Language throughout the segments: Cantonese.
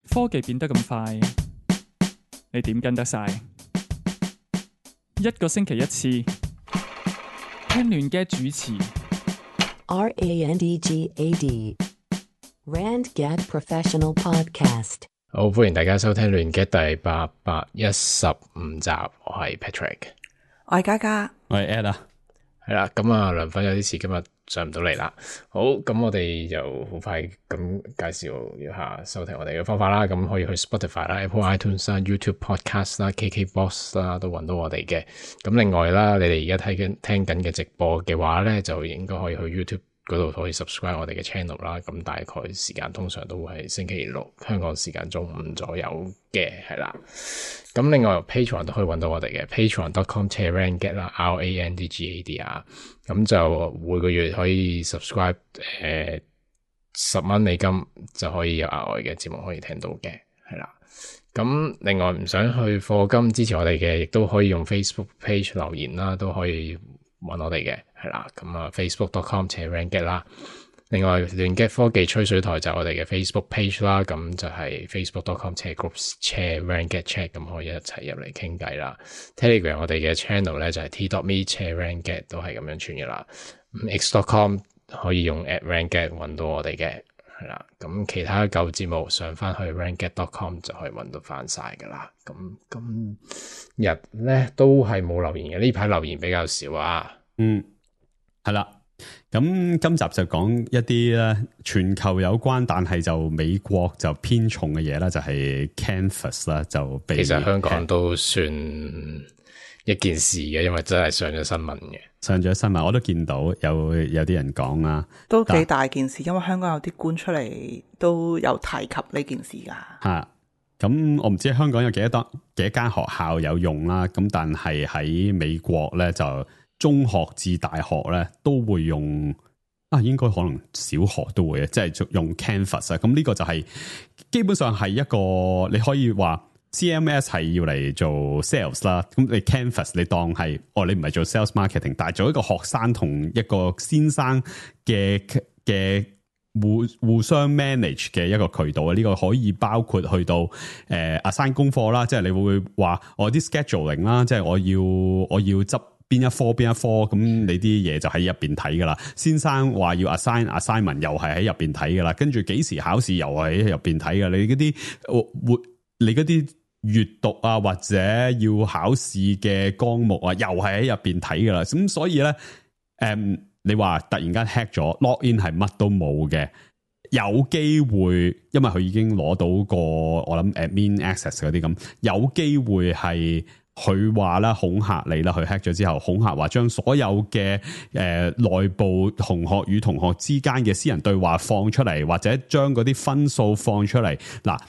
科技變得咁快，你點跟得晒？一個星期一次，聽亂嘅主持。RANDGAD RandGad Professional Podcast。好，歡迎大家收聽亂嘅第815集，我係 Patrick， 我係嘉嘉，我係 Ed 啊。係啦，咁啊，梁粉有啲事今日上唔到嚟啦。好，咁我哋就好快咁介紹一下收聽我哋嘅方法啦。咁可以去 Spotify 啦、Apple iTunes 啦、YouTube Podcast 啦、KKBox 啦，都揾到我哋嘅。咁另外啦，你哋而家聽緊嘅直播嘅話咧，就應該可以去 YouTube嗰度可以 subscribe 我哋嘅 channel 啦。咁大概時間通常都會係星期六香港時間中午左右嘅，係啦。咁另外 Patreon 都可以揾到我哋嘅 patreon.com/randgad 啦 RANDGAD 啊。咁就每個月可以 subscribe 10蚊美金就可以有額外嘅節目可以聽到嘅，係啦。咁另外唔想去課金支持我哋嘅，亦都可以用 Facebook page 留言啦，都可以揾我哋嘅，係啦。咁啊 facebook.com/randgad 啦。另外亂嘅科技吹水台就係我哋嘅 Facebook page 啦，咁就係 facebook.com/groups/randgad，咁可以一齊入嚟傾偈啦。Telegram 我哋嘅 channel 咧就係 t.me/randgad 都係咁樣串嘅啦。x.com 可以用 @randgad 揾到我哋嘅，係啦。咁其他舊節目上翻去 randgad.com 就可以揾到翻晒噶啦。咁今日咧都係冇留言嘅，呢排留言比較少啊。係啦。咁今集就講一啲咧全球有關，但係就美國就偏重嘅嘢啦，就係 Canvas 啦，就被其實香港都算一件事嘅，因為真係上咗新聞嘅。上咗新聞，我都見到有啲人講啦，都幾大件事，因為香港有啲官出嚟都有提及呢件事噶。吓，咁我唔知香港有幾多間學校有用啦，咁但係喺美國咧就中學至大學咧都會用啊，應該可能小學都會，即係用 Canvas 啊。咁呢個就係基本上係一個你可以話 CMS 係要嚟做 sales 啦。咁你 Canvas 你當係你唔係做 sales marketing， 但係做一個學生同一個先生嘅互相 manage 嘅一個渠道啊。呢個可以包括去到assign 功課啦，即係你會話我啲 scheduling 啦，即係我要執邊一科，咁你啲嘢就喺入邊睇噶啦。先生話要 assignment 又係喺入邊睇噶啦，跟住幾時考試又係喺入邊睇噶。你嗰啲閱讀啊，或者要考試嘅項目啊，又係喺入邊睇噶啦。咁所以咧，你話突然間 hack 咗 login 係乜都冇嘅，有機會因為佢已經攞到個我諗 admin access 嗰啲咁，有機會係。佢話啦，恐嚇你啦，佢 hack 咗之後，恐嚇話將所有嘅內部同學與同學之間嘅私人對話放出嚟，或者將嗰啲分數放出嚟。嗱，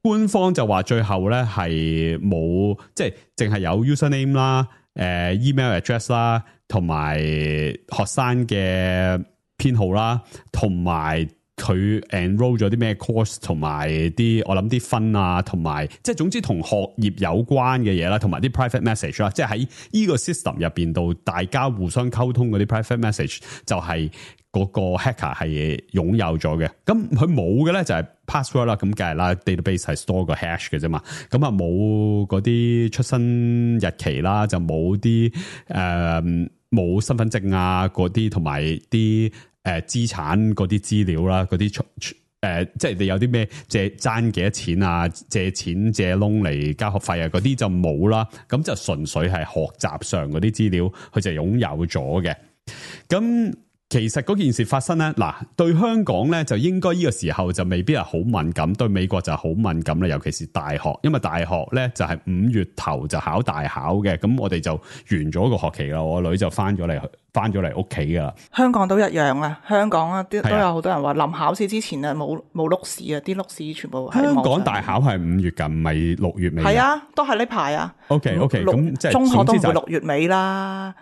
官方就話最後咧係冇，即係淨係有 username 啦、email address 啦，同埋學生嘅編號啦，同埋佢 enroll 咗啲咩 course， 同埋啲我諗啲分啊，同埋即係總之同學業有關嘅嘢啦，同埋啲 private message 啦，即係喺呢個 system 入邊度大家互相溝通嗰啲 private message 就係嗰個 hacker 係擁有咗嘅。咁佢冇嘅咧就係 password 啦，咁梗係啦 database 係 store 個 hash 嘅啫嘛。咁啊冇嗰啲出生日期啦，就冇啲冇身份證啊嗰啲，同埋啲資產嗰啲資料啦，嗰啲即係你有啲咩爭幾多錢啊，借錢借窿嚟交學費啊，嗰啲就冇啦。咁就純粹係學習上嗰啲資料，佢就擁有咗嘅。咁其實嗰件事發生咧，嗱對香港咧就應該呢個時候就未必係好敏感，對美國就好敏感啦，尤其是大學，因為大學咧就係5月頭就考大考嘅，咁我哋就完咗個學期啦，我女就翻咗嚟屋企噶啦。香港都一樣啊，香港啊都有好多人話臨考試之前啊冇碌試啊，啲碌試全部喺香港大考係5月㗎，唔係6月尾。係啊，都係呢排啊。OK，咁即係中學都唔會6月尾啦。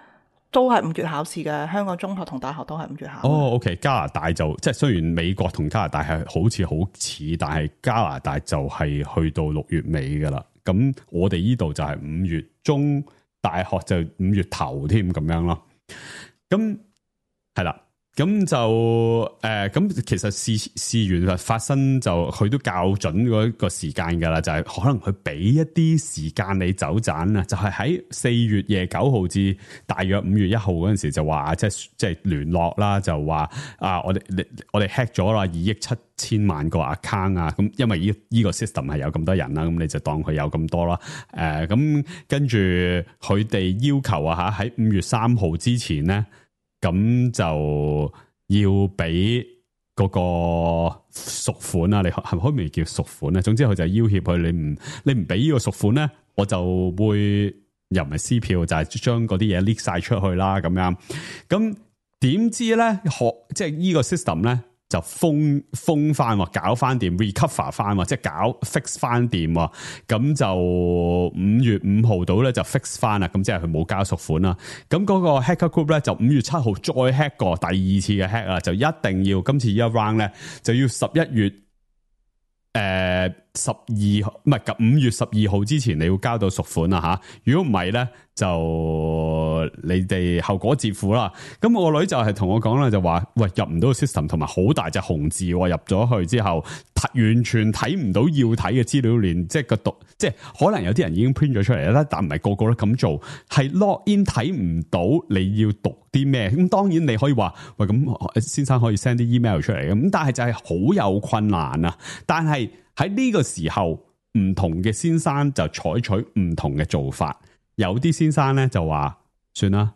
都係5月考試嘅，香港中學同大學都係5月考。OK， 加拿大就即係雖然美國同加拿大係好似，但係加拿大就係去到6月尾噶啦。咁我哋呢度就係5月中，大學就5月頭添咁樣咯。咁係啦，咁就咁其實事緣發生就佢都校準嗰個時間㗎啦，就係可能佢俾一啲時間你走盞啊，就係喺4月廿9號至大約5月1號嗰陣時就話即係聯絡啦，就話啊我哋 hack 咗啦2億7千萬個 account 啊，咁因為呢個 system 係有咁多人啦，咁你就當佢有咁多啦，咁跟住佢哋要求啊喺5月3號之前咧。咁就要俾嗰個贖款啊！你係咪可唔可以叫贖款咧？總之佢就要挾佢，你唔俾呢個贖款咧，我就會又唔係撕票，就係將嗰啲嘢 leak 晒出去啦咁樣。咁點知咧即係呢個 system 咧？就封翻，搞翻掂 recover 翻，即係搞 fix 翻掂，咁就5月5號到咧就 fix 翻啦，咁即係佢冇交贖款啦。咁嗰個 hacker group 咧就5月7號再 hack 過第二次嘅 hack 啦，就一定要今次呢一 round 咧就要11月12號唔係5月12號之前你要交到贖款啦吓，如果唔係咧就你哋後果自負啦。咁我個女就係同我講啦，就話喂入唔到個 system， 同埋好大隻紅字，入咗去之後完全睇唔到要睇嘅資料鏈，即係個讀，即係可能有啲人已經 print 咗出嚟啦，但唔係個個都咁做，係 log in 睇唔到你要讀啲咩。咁當然你可以話喂，咁先生可以 send 啲 email 出嚟，咁但係就係好有困難啊。但係喺呢個時候，唔同嘅先生就採取唔同嘅做法。有啲先生咧就話算啦，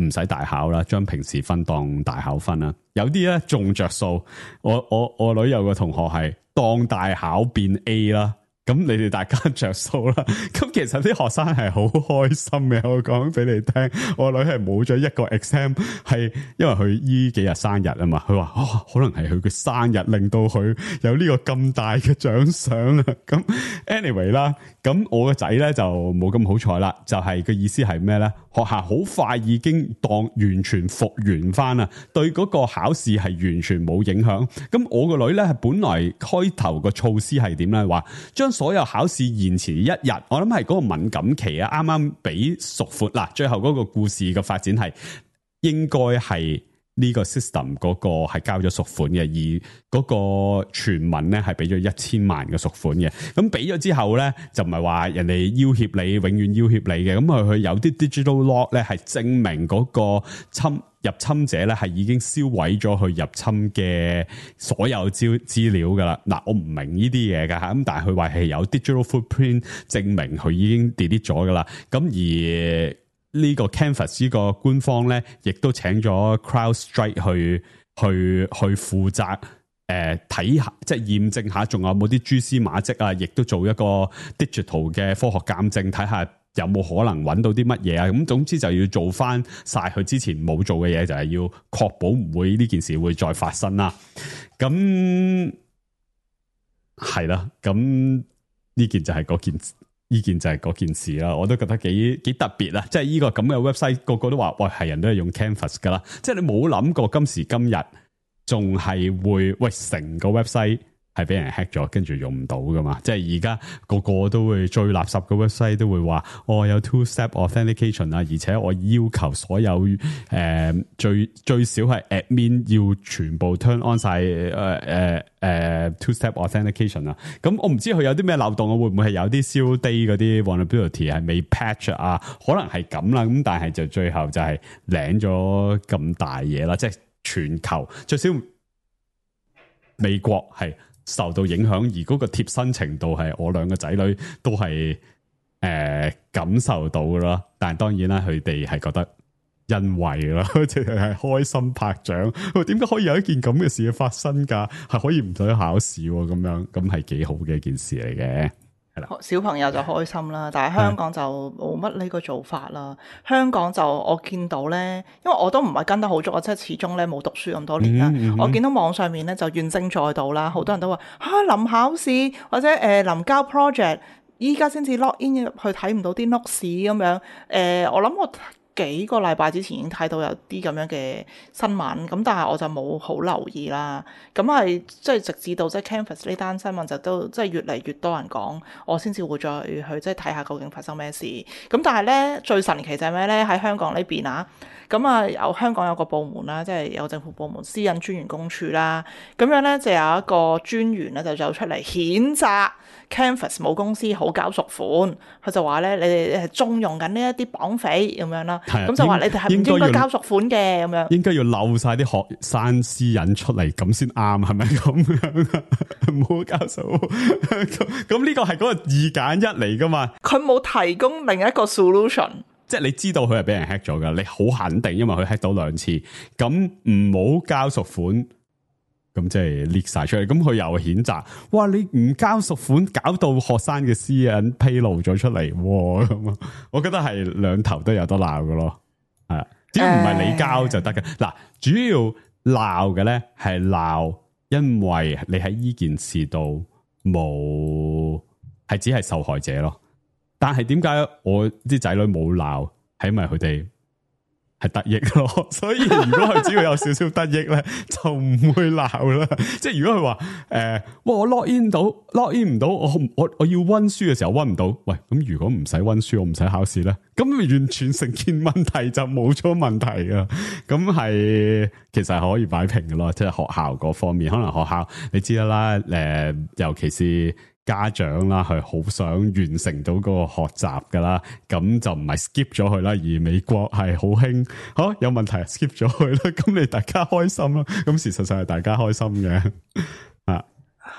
唔使大考啦，將平時分當大考分啦。有啲咧仲着數，我女有個同學係當大考變 A 啦。咁你哋大家着數啦。咁其實啲學生係好開心嘅，我講俾你聽。我女係冇咗一個 exam， 係因為佢依幾日生日啊嘛。佢話可能係佢嘅生日令到佢有呢個咁大嘅獎賞啊。咁 anyway 啦，咁我個仔咧就冇咁好彩啦。就係個意思係咩咧？學校好快已經當完全復原翻啦，對嗰個考試係完全冇影響。咁我個女咧係本來開頭個措施係點咧？話將所有考試延遲1日，我諗係嗰個敏感期啊，啱啱俾贖款嗱，最後嗰個故事嘅發展係應該係呢個 system 嗰個係交咗贖款嘅，而嗰個傳聞咧係俾咗1000萬嘅贖款嘅。咁俾咗之後咧，就唔係話人哋要挾你，永遠要挾你嘅。咁佢有啲 digital log 咧係證明嗰個入侵者咧係已經銷毀咗佢入侵嘅所有資料噶啦。嗱，我唔明呢啲嘢噶吓，咁但係佢話係有 digital footprint 證明佢已經 delete 咗噶啦。咁而呢個 Canvas 呢個官方咧，亦都請咗 CrowdStrike 去負責睇下，即係驗證下仲有冇啲蛛絲馬跡啊，亦都做一個 digital 嘅科學鑑證，睇下有冇可能揾到啲乜嘢啊。咁總之就要做翻晒佢之前冇做嘅嘢，就係要確保唔會呢件事會再發生啦。咁係啦，咁呢件就係嗰件事。呢件就係嗰件事啦，我都覺得幾特別啦，即係呢個咁嘅 website，個個都話喂，係人都係用 Canvas 噶啦，即係你冇諗過今時今日仲係會喂成個 website 係俾人 hack 咗，跟住用唔到噶嘛？即係而家個個都會最垃圾嘅 website 都會話有 two-step authentication 啊，而且我要求所有最少係 admin 要全部 turn on 晒two-step authentication 啊。咁我唔知佢有啲咩漏洞啊，會唔會係有啲 zero day 嗰啲 vulnerability 係未 patch 啊？可能係咁啦。咁但係就最後就係領咗咁大嘢啦，即係全球最少美國係受到影響，而嗰個貼身程度係我兩個仔女都係感受到噶啦。但係當然啦，佢哋係覺得欣慰啦，即係開心拍掌。點解可以有一件咁嘅事發生㗎？係可以唔使考試咁樣，咁係幾好嘅一件事嚟嘅。小朋友就開心啦，但係香港就冇乜呢個做法啦。香港就我見到咧，因為我都唔係跟得好足，我即係始終咧冇讀書咁多年啦。我見到網上面咧就怨聲載道啦，好多人都話臨考試或者臨交 project，依家先至 log in 入去睇唔到啲 notes 咁樣。我諗我幾個禮拜之前已經睇到有啲咁樣嘅新聞，咁但係我就冇好留意啦。咁係即係直至到即係 Canvas 呢單新聞就都即係越嚟越多人講，我先至會再去即係睇下究竟發生咩事。咁但係咧最神奇就係咩咧？喺香港呢邊啊，咁啊香港有個部門啦，即係有政府部門私隱專員公署啦，咁樣咧就有一個專員咧就走出嚟譴責 Canvas 母公司好交贖款，佢就話咧你哋係縱容緊呢一啲綁匪咁樣啦，咁就話你哋係唔應該交贖款嘅咁樣，應該要漏晒啲學生私隱出嚟咁先啱，係咪咁樣？唔好交贖，咁呢個係嗰個二揀一嚟噶嘛？佢冇提供另一個 solution。即係你知道佢係俾人 hack 咗噶，你好肯定，因為佢 hack 到2次，咁唔好交贖款，咁即係 leak 晒出嚟，咁佢又譴責，哇！你唔交贖款，搞到學生嘅私隱披露咗出嚟，咁我覺得係兩頭都有得鬧噶咯，係，只要唔係你交就得嘅。嗱，主要鬧嘅咧係鬧，因為你喺呢件事度冇，係只係受害者咯。但係點解我啲仔女冇鬧？係因為佢哋係得益咯，所以如果佢只要有少少得益咧，就唔會鬧啦。即係如果佢話我 log in 唔到，我要溫書嘅時候溫唔到，喂，咁如果唔使溫書，我唔使考試咧，咁完全成件問題就冇咗問題噶。咁係其實係可以擺平嘅咯，即係學校嗰方面，可能學校你知啦，尤其是家長啦，係好想完成到嗰個學習噶啦，咁就唔係 skip 咗佢啦。而美國係好興，有問題 skip 咗佢啦，咁你大家開心啦。咁事實上係大家開心嘅啊。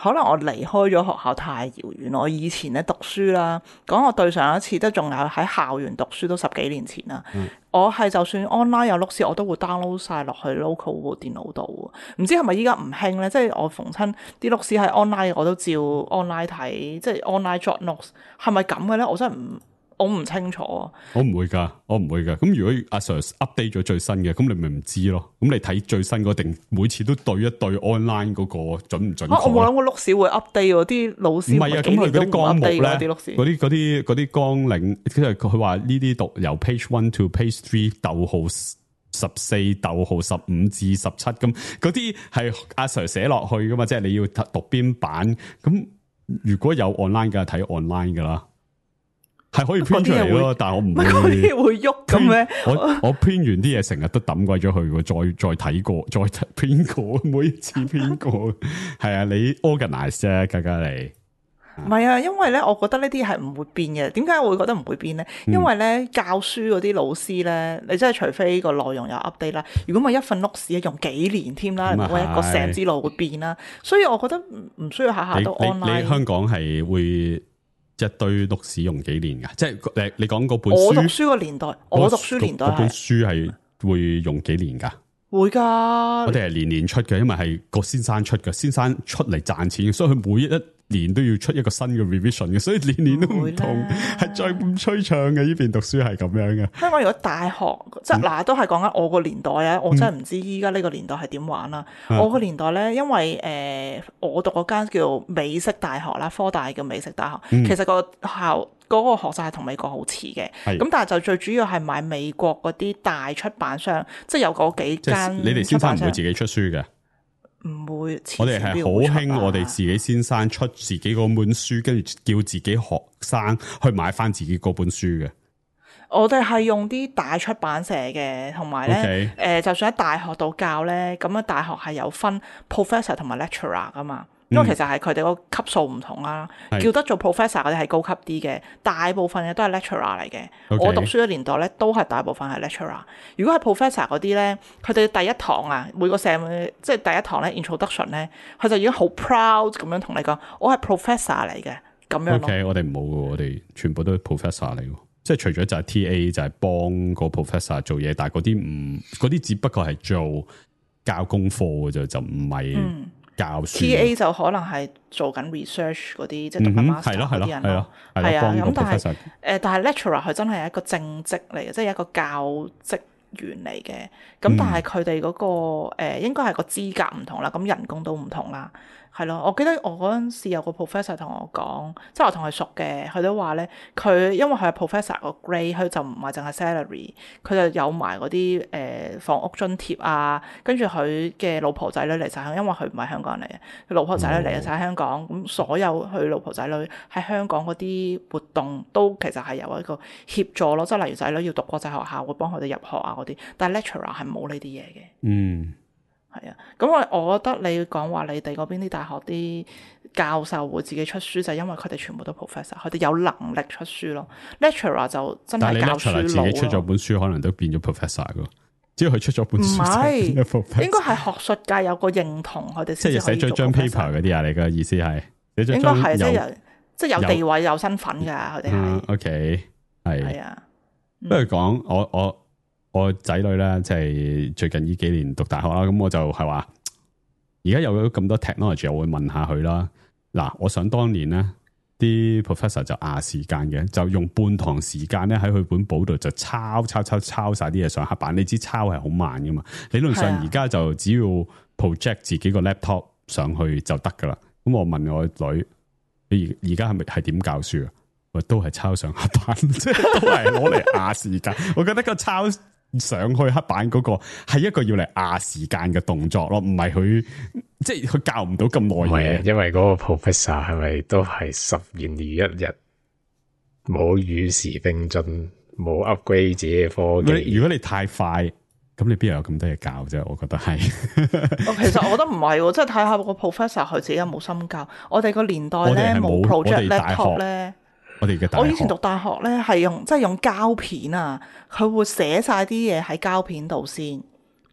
可能我離開咗學校太遙遠，我以前咧讀書啦，講我對上一次都仲有喺校園讀書都10幾年前啦。我係就算 online 有碌屎，我都會 download 晒落去 local 部電腦度。唔知係咪依家唔興咧？即係我逢親啲碌屎係 online，我都照 online 睇，即係 online jot notes 係咪咁嘅咧？我真係我唔清楚啊！我唔會噶。咁如果阿 Sir update 咗最新嘅，咁你咪唔知咯。咁你睇最新嗰定每次都對一對 online 嗰個準唔準確？我冇諗過碌屎會 update 喎，啲老師唔係啊。咁佢嗰啲綱目咧，嗰啲綱領，即係佢話呢啲讀由 page 1 to page 3逗號14逗號15至17，咁嗰啲係阿 Sir 寫落去噶嘛？即係你要讀邊版？咁如果有 online 嘅，睇 online 噶啦。係可以 print 出嚟咯，但係我唔會。嗰啲會喐咁咩？我 print 完啲嘢成日都抌鬼咗去，再睇過，再 print 過，每一次 print 過。係啊，你 organize 啫，家家你。唔係啊，因為咧，我覺得呢啲係唔會變嘅。點解我會覺得唔會變咧？因為咧，教書嗰啲老師咧，你真係除非個內容有 update 啦，如果唔係一份 notes 用幾年添啦，我一個成之路會變啦。所以我覺得唔需要下下都 online。你香港係會一堆錄使用幾年噶？即係你講嗰本書，我讀書個年代，我讀書年代嗰本書係會用幾年噶？會噶，我哋係年出嘅，因為係個先生出嘅，先生出嚟賺錢，所以佢每一年都要出一個新嘅 revision 嘅，所以年都唔同，係再咁吹唱嘅。呢邊讀書係咁樣嘅。香港如果大學即係嗱，都係講緊我個年代啊，我真係唔知依家呢個年代係點玩啦。我個年代咧，因為我讀嗰間叫美式大學啦，科大叫美式大學，其實個校嗰個學制係同美國好似嘅，咁但係就最主要係買美國嗰啲大出版商，即係有嗰幾間。你哋先生唔會自己出書嘅？唔會。我哋係好興，我哋自己先生出自己嗰本書，跟住叫自己學生去買翻自己嗰本書嘅。我哋係用啲大出版社嘅，同埋咧，就算喺大學度教咧，咁啊大學係有分 professor 同埋 lecturer 噶嘛。因為其實係佢哋個級數唔同啦，叫得做 professor 嗰啲係高級啲嘅，大部分嘅都係 lecturer 嚟嘅。我讀書嘅年代咧，都係大部分係 lecturer。如果係 professor 嗰啲咧，佢哋第一堂啊，每個 sem 即係第一堂咧 introduction 咧，佢就已經好 proud 咁樣同你講，我係 professor 嚟嘅咁樣咯。OK， 我哋唔好嘅，我哋全部都係 professor 嚟嘅，即係除咗就係 TA 就係幫個 professor 做嘢，但係嗰啲只不過係做教功課嘅啫，就唔係。TA 就可能係做緊 research 嗰啲，即係讀緊 master 嗰啲人咯。係啊，咁但係 lecturer 佢真係一個正職嚟嘅，即係一個教職員嚟嘅。咁但係佢哋嗰個應該係個資格唔同啦，咁人工都唔同啦。係咯，我記得我嗰陣時有個 professor 同我講，即係我同佢熟嘅，佢都話咧，佢因為佢係 professor 個 grade，佢就唔係淨係 salary，佢就有埋嗰啲房屋津貼啊，跟住佢嘅老婆仔女嚟晒香港，因為佢唔係香港人嚟嘅，佢老婆仔女嚟晒香港，咁所有佢老婆仔女喺香港嗰啲活動都其實係有一個協助咯，即係例如仔女要讀國際學校會幫佢哋入學啊嗰啲，但係 lecturer 係冇呢啲嘢嘅。嗯。係啊，咁我覺得你講話你哋嗰邊啲大學啲教授會自己出書，就係因為佢哋全部都 professor，佢哋有能力出書咯。lecturer 就真係教書佬咯。但係你 lecturer 自己出咗本書，可能都變咗 professor 噶。只要佢出咗本書，唔係應該係學術界有個認同，佢哋先至可以做 professor。即係寫咗張 paper 嗰啲啊？你嘅意思係？應該係即係有地位有身份噶，佢哋係。OK， 係啊。不如講我仔女咧，即係最近呢幾年讀大學啦，咁我就係話，而家有咗咁多 technology，我會問下佢啦。嗱，我想當年咧，啲 professor 就時間嘅，就用半堂時間咧喺佢本簿度就抄晒啲嘢上黑板。你知抄係好慢噶嘛？理論上而家就只要 project 自己個 laptop 上去就得噶啦。咁我問我女，你而家係點教書啊？我都係抄上黑板，即係都係攞嚟時間。我覺得個抄上去黑板嗰個係一個要嚟時間嘅動作咯，唔係佢即係佢教唔到咁耐嘢。因為嗰個 professor 係咪都係10年如一日，冇與時並進，冇 upgrade 自己嘅科技。如果你太快，咁你邊有咁多嘢教啫？我覺得係。其實我覺得唔係，即係睇下個 professor 佢自己有冇心教。我哋個年代咧冇 project laptop 咧。我以前讀大學咧係用膠片啊，佢會寫晒啲嘢喺膠片度先。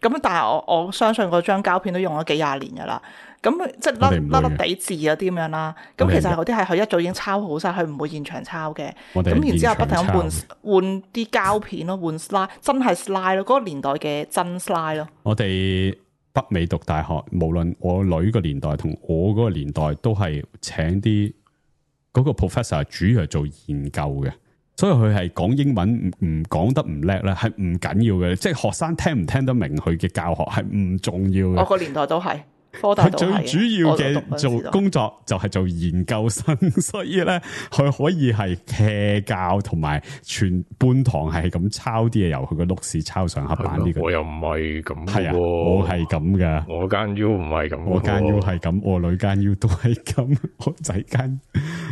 咁但係我相信嗰張膠片都用咗幾廿年噶啦。咁即係甩地字嗰啲咁樣啦。咁其實嗰啲係佢一早已經抄好晒，佢唔會現場抄嘅。咁然之後不停咁換啲膠片咯，換 slide， 真係 slide 咯，嗰個年代嘅真 slide 咯。我哋北美讀大學，無論我女個年代同我嗰個年代，都係請啲。嗰個 professor 主要係做研究嘅，所以佢係講英文唔講得唔叻咧，係唔緊要嘅。即係學生聽唔聽得明佢嘅教學係唔重要嘅。我個年代都係，科大都係。最主要嘅做工作就係做研究生，所以咧佢可以係 hea 教同埋全半堂係咁抄啲嘢，由佢個碌屎抄上黑板呢個。我又唔係咁，係啊，我係咁噶。我間 U 唔係咁，我間 U 係咁，我女間 U 都係咁，我仔間。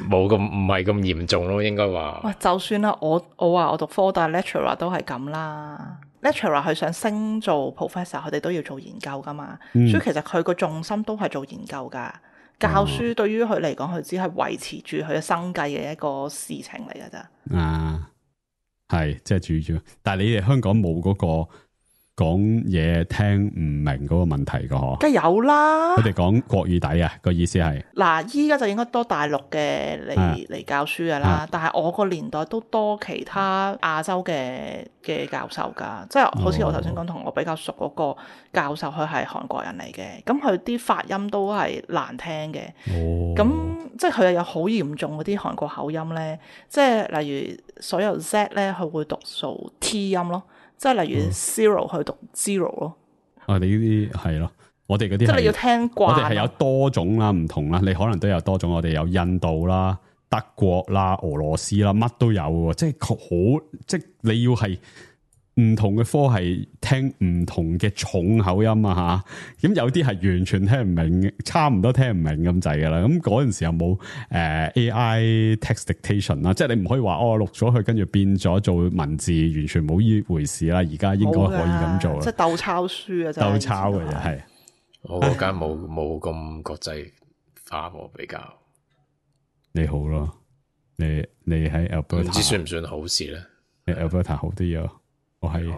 冇咁唔係咁嚴重咯，應該話。喂，就算啦，我話我讀科大 lecturer 都係咁啦。lecturer 佢想升做 professor， 佢哋都要做研究噶嘛。所以其實佢個重心都係做研究噶。教書對於佢嚟講，佢只係維持住佢嘅生計嘅一個事情嚟噶咋。係即係主。但係你哋香港冇嗰個講嘢聽唔明嗰個問題噶嗬？梗係有啦。佢哋講國語底啊，個意思係嗱，依家就應該多大陸嘅嚟教書噶啦。但係我個年代都多其他亞洲嘅教授噶，即係好似我頭先講同我比較熟嗰個教授，佢係韓國人嚟嘅，咁佢啲發音都係難聽嘅。咁即係佢又有好嚴重嗰啲韓國口音咧，即係例如所有 Z 咧，佢會讀做 T 音咯。即係例如 zero 去讀 zero 咯。我哋呢啲係咯，我哋嗰啲即係你要聽慣。我哋係有多種啦，唔同啦，你可能都有多種。我哋有印度啦、德國啦、俄羅斯啦，乜都有喎。即係好，即係你要係唔同嘅科係聽唔同嘅重口音啊吓。咁有啲係完全聽唔明，差唔多聽唔明咁滯噶啦。咁嗰陣時有冇AI text dictation 啦？即係你唔可以話錄咗佢，跟住變咗做文字，完全冇呢回事啦。而家應該可以咁做啦。即係鬥抄書啊！真係鬥抄嘅啫，係。我嗰間冇咁國際化喎，比較。你好咯，你喺 Alberta 唔知算唔算好事咧？你 Alberta 好啲啊！我係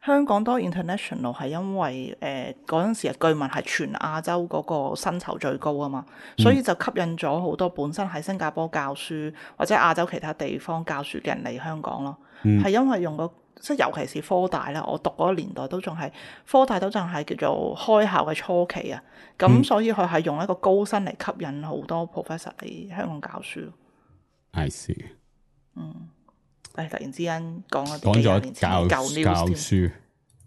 香港多 international 係因為嗰陣時據聞係全亞洲嗰個薪酬最高啊嘛，所以就吸引咗好多本身喺新加坡教書或者亞洲其他地方教書嘅人嚟香港咯。係因為用即係尤其是科大啦，我讀嗰個年代都仲係科大都仲係叫做開校嘅初期啊，咁所以佢係用一個高薪嚟吸引好多 professor 嚟香港教書。I see。突然之間講咗教書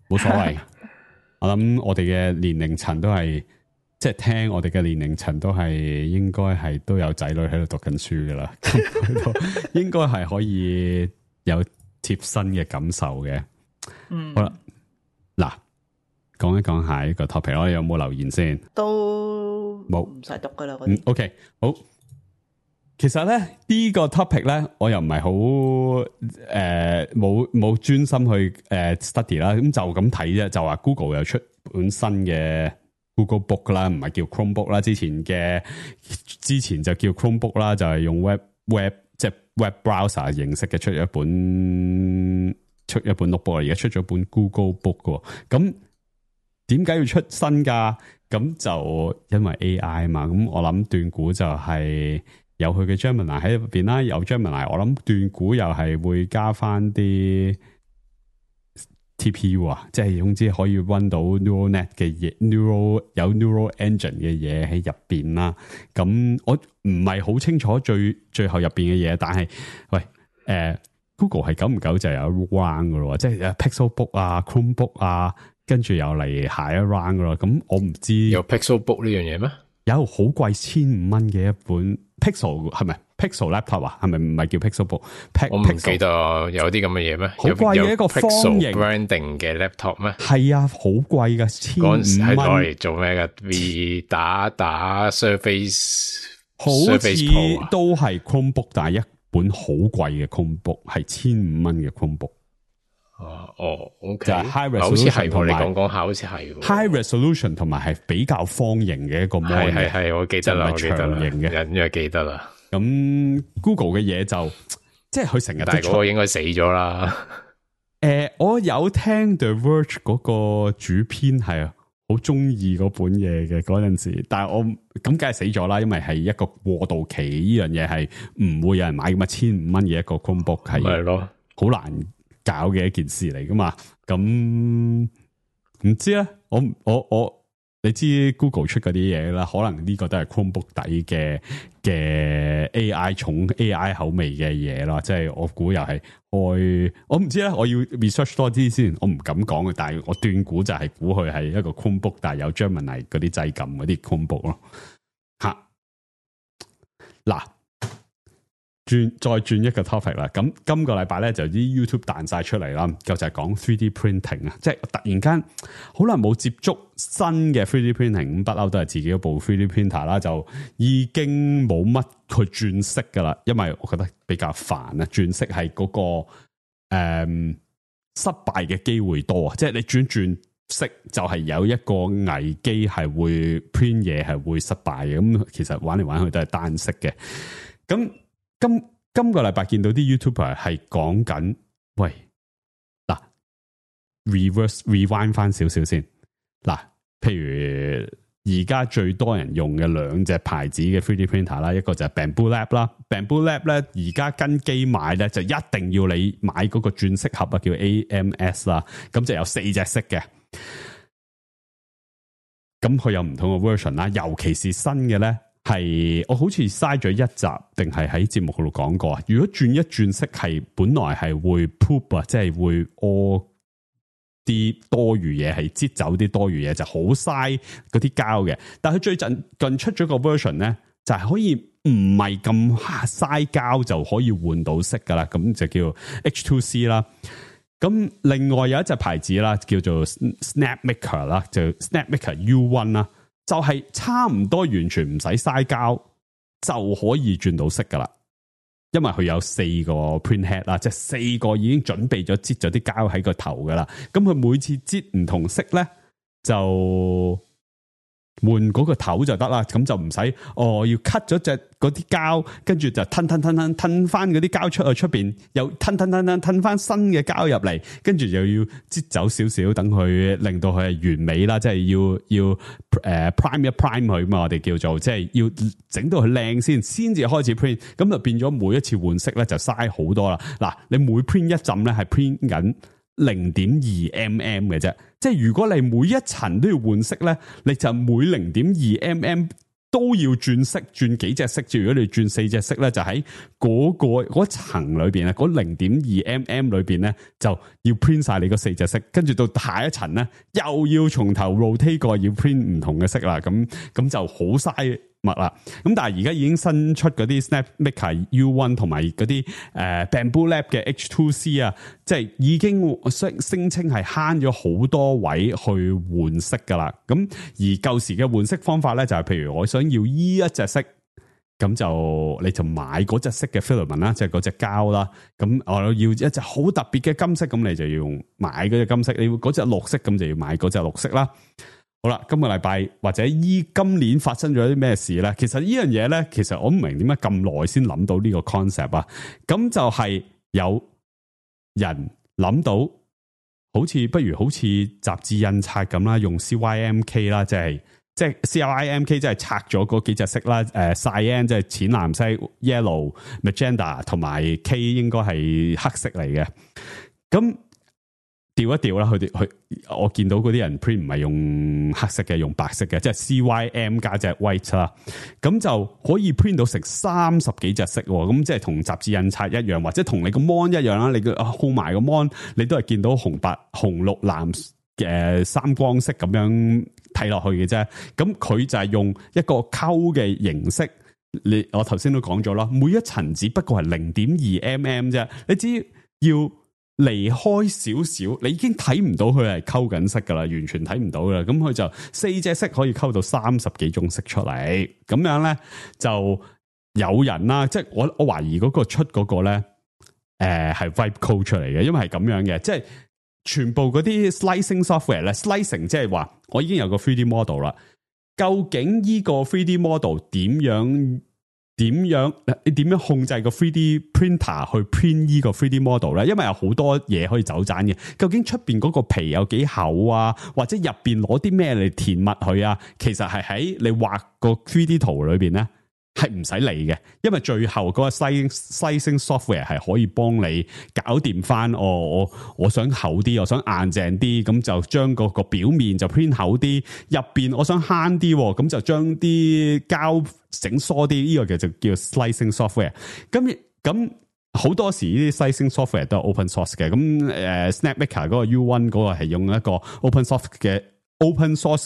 冇所謂。我諗我哋嘅年齡層都係即係聽我哋嘅年齡層都係應該係都有仔女喺度讀緊書噶啦，咁應該係可以有貼身嘅感受嘅。好啦，嗱，講一講下呢個 topic，我哋有冇留言先？都冇，唔使讀噶啦嗰啲。OK， 好。其實咧呢個 topic 咧，我又唔係好冇專心去study 啦，咁就咁睇啫。就話 Google 又出本新嘅 Google Book 啦，唔係叫 Chromebook 啦，之前就叫 Chromebook 啦，就係用 web 即係 web browser 形式嘅出咗一本 notebook，而家出咗本 Google Book 嘅。咁點解要出新㗎？咁就因為 AI 嘛。咁我諗斷估就係有佢嘅 Gemini 喺入邊啦，有 Gemini， 我諗斷估又係會加翻啲 TPU 啊，即係總之可以 run 到 neural net 嘅嘢有 neural engine 嘅嘢喺入邊啦。咁我唔係好清楚最後入邊嘅嘢，但係喂Google 係久唔久就有 round 噶咯，即係 Pixel Book 啊 Chromebook 啊，跟住又嚟下一 round 噶咯。咁我唔知有 Pixel Book 呢樣嘢咩？有好貴1,500嘅一本 Pixel 係咪 Pixel Laptop 啊？係咪唔係叫 Pixel Book？ 我唔記得有啲咁嘅嘢咩？好貴嘅一個方形 Pixel branding 嘅 laptop 咩？係啊，好貴噶，1,500嗰陣時係攞嚟做咩噶 ？V 打 Surface， 好似都係 Chromebook， 但係一本好貴嘅 Chromebook 係1,500嘅 Chromebook。OK， 就係 high resolution，好似係我哋講下，好似係 high resolution 同埋係比較方形嘅一個 mon， 係，我記得啦，我記得啦，隱約記得啦。咁 Google 嘅嘢就即係佢成日都出，但係嗰個應該死咗啦。我有聽 The Verge 嗰個主編係好中意嗰本嘢嘅嗰陣時，但係我咁梗係死咗啦，因為係一個過渡期，呢樣嘢係唔會有人買咁啊，1,500嘅一個 Chromebook 係咯，好難搞嘅一件事嚟噶嘛。咁唔知咧，我你知 Google 出嗰啲嘢啦，可能呢個都係 Chromebook 底嘅 AI 重 AI 口味嘅嘢啦，即係我估又係開，我唔知咧，我要 research 多啲先，我唔敢講嘅，但係我斷估就係估佢係一個 Chromebook， 但係有 Gemini 嗰啲掣撳嗰啲 Chromebook 咯。吓，嗱，再轉一個 topic 啦，咁今個禮拜咧就啲 YouTube 彈晒出嚟啦，就係講 3D printing 啊，即係突然間好耐冇接觸新嘅 3D printing， 咁不嬲都係自己一部 3D printer 啦，就已經冇乜去轉色噶啦，因為我覺得比較煩啊，轉色係嗰個失敗嘅機會多啊，即係你轉色就係有一個危機係會 print 嘢係會失敗嘅，咁其實玩嚟玩去都係單色嘅，咁。今個禮拜見到啲 YouTuber 係講緊，喂，嗱 rewind 翻少少先，嗱，譬如而家最多人用嘅兩隻牌子嘅 3D printer 啦，一個就係 Bamboo Lab 啦 ，Bamboo Lab 咧而家跟機買咧就一定要你買嗰個轉色盒啊，叫 AMS 啦，咁就有4隻色嘅，咁佢有唔同嘅 version 啦，尤其是新嘅咧。係我好似嘥咗一集，定係喺節目嗰度講過啊？如果轉一轉色係本來係會 poop 啊，即係會屙啲多餘嘢，係擠走啲多餘嘢，就好嘥嗰啲膠嘅。但係佢最近出咗個 version 咧，就係可以唔係咁嘥膠就可以換到色噶啦，咁就叫 H2C 啦。咁另外有一隻牌子啦，叫做 Snapmaker 啦，就 Snapmaker U1 啦。就係差唔多完全唔使嘥膠就可以轉到色噶啦，因為佢有4個 print head 啦，即係4個已經準備咗擠咗啲膠喺個頭噶啦。咁佢每次擠唔同色咧，就換嗰個頭就得啦。咁就唔使要 cut 咗隻嗰啲膠，跟住就吞翻嗰啲膠出去出邊，又吞翻新嘅膠入嚟，跟住又要擠走少少，等佢令到佢係完美啦。即係要prime 一 prime 佢嘛，我哋叫做即係要整到佢靚先至開始 print。咁就變咗每一次換色咧就嘥好多啦。嗱，你每 print 一浸咧係 print 緊0.2mm 嘅啫，即係如果你每一層都要換色咧，你就每0.2mm 都要轉色，轉幾隻色。如果你轉4隻色咧，就喺嗰層裏邊啊，嗰 0.2mm 裏邊咧，就要 print 晒你嗰4隻色，跟住到下一層咧，又要從頭 rotate 過，要 print 唔同嘅色啦。咁就好嘥物啦。咁但係而家已經新出嗰啲 SnapMaker U1 同埋嗰啲Bamboo Lab 嘅 H2C 啊，即係已經聲稱係慳咗好多位去換色噶啦。咁而舊時嘅換色方法咧，就係譬如我想要依一隻色，咁就你就買嗰隻色嘅 filament 啦，即係嗰隻膠啦。咁我要一隻好特別嘅金色，咁你就要買嗰隻金色。你要嗰隻綠色，咁就要買嗰隻綠色啦。好啦，今個禮拜或者今年發生咗啲咩事咧？其實呢樣嘢咧，其實我唔明點解咁耐先諗到呢個 concept 啊。咁就係有人諗到，好似雜誌印刷咁啦，用 CYMK 啦，即係 CYMK 即係拆咗嗰幾隻色啦。cyan 即係淺藍色 ，yellow、magenta 同埋 K 應該係黑色嚟嘅。咁調一調啦，我見到嗰啲人 print 唔係用黑色嘅，用白色嘅，即係 CYM 加隻 white 啦，咁就可以 print 到成30幾隻色，咁即係同雜誌印刷一樣，或者同你個 mon 一樣啦，你個控埋個 mon，你都係見到紅白紅綠藍嘅三光色咁樣睇落去嘅啫。咁佢就係用一個溝嘅形式，我頭先都講咗啦，每一層只不過係 0.2mm 啫，你只要離開少少，你已經睇唔到佢係溝緊色噶啦，完全睇唔到噶啦。咁佢就4隻色可以溝到30幾種色出嚟，咁樣咧就有人啦，即係我懷疑嗰個出嗰個咧，係 Vibe Code 出嚟嘅，因為係咁樣嘅，即係全部嗰啲 slicing software 咧 ，slicing 即係話我已經有個 3D model 啦，究竟呢個 3D model 點樣控制個 3D printer 去 print 呢個 3D model 咧？因為有好多嘢可以走盞嘅。究竟出邊嗰個皮有幾厚啊？或者入邊攞啲咩嚟填密佢啊？其實係喺你畫個 3D 圖裏邊咧，係唔使理嘅。因為最後嗰個 slicing software 係可以幫你搞掂翻。我想厚啲，我想硬淨啲，咁就將個表面就 print 厚啲。入邊我想慳啲，咁就將啲膠整疏啲，呢個就叫 slicing software。咁好多時呢啲 slicing software 都係 open source 嘅。咁SnapMaker 嗰個 U1 嗰個係用一個 open source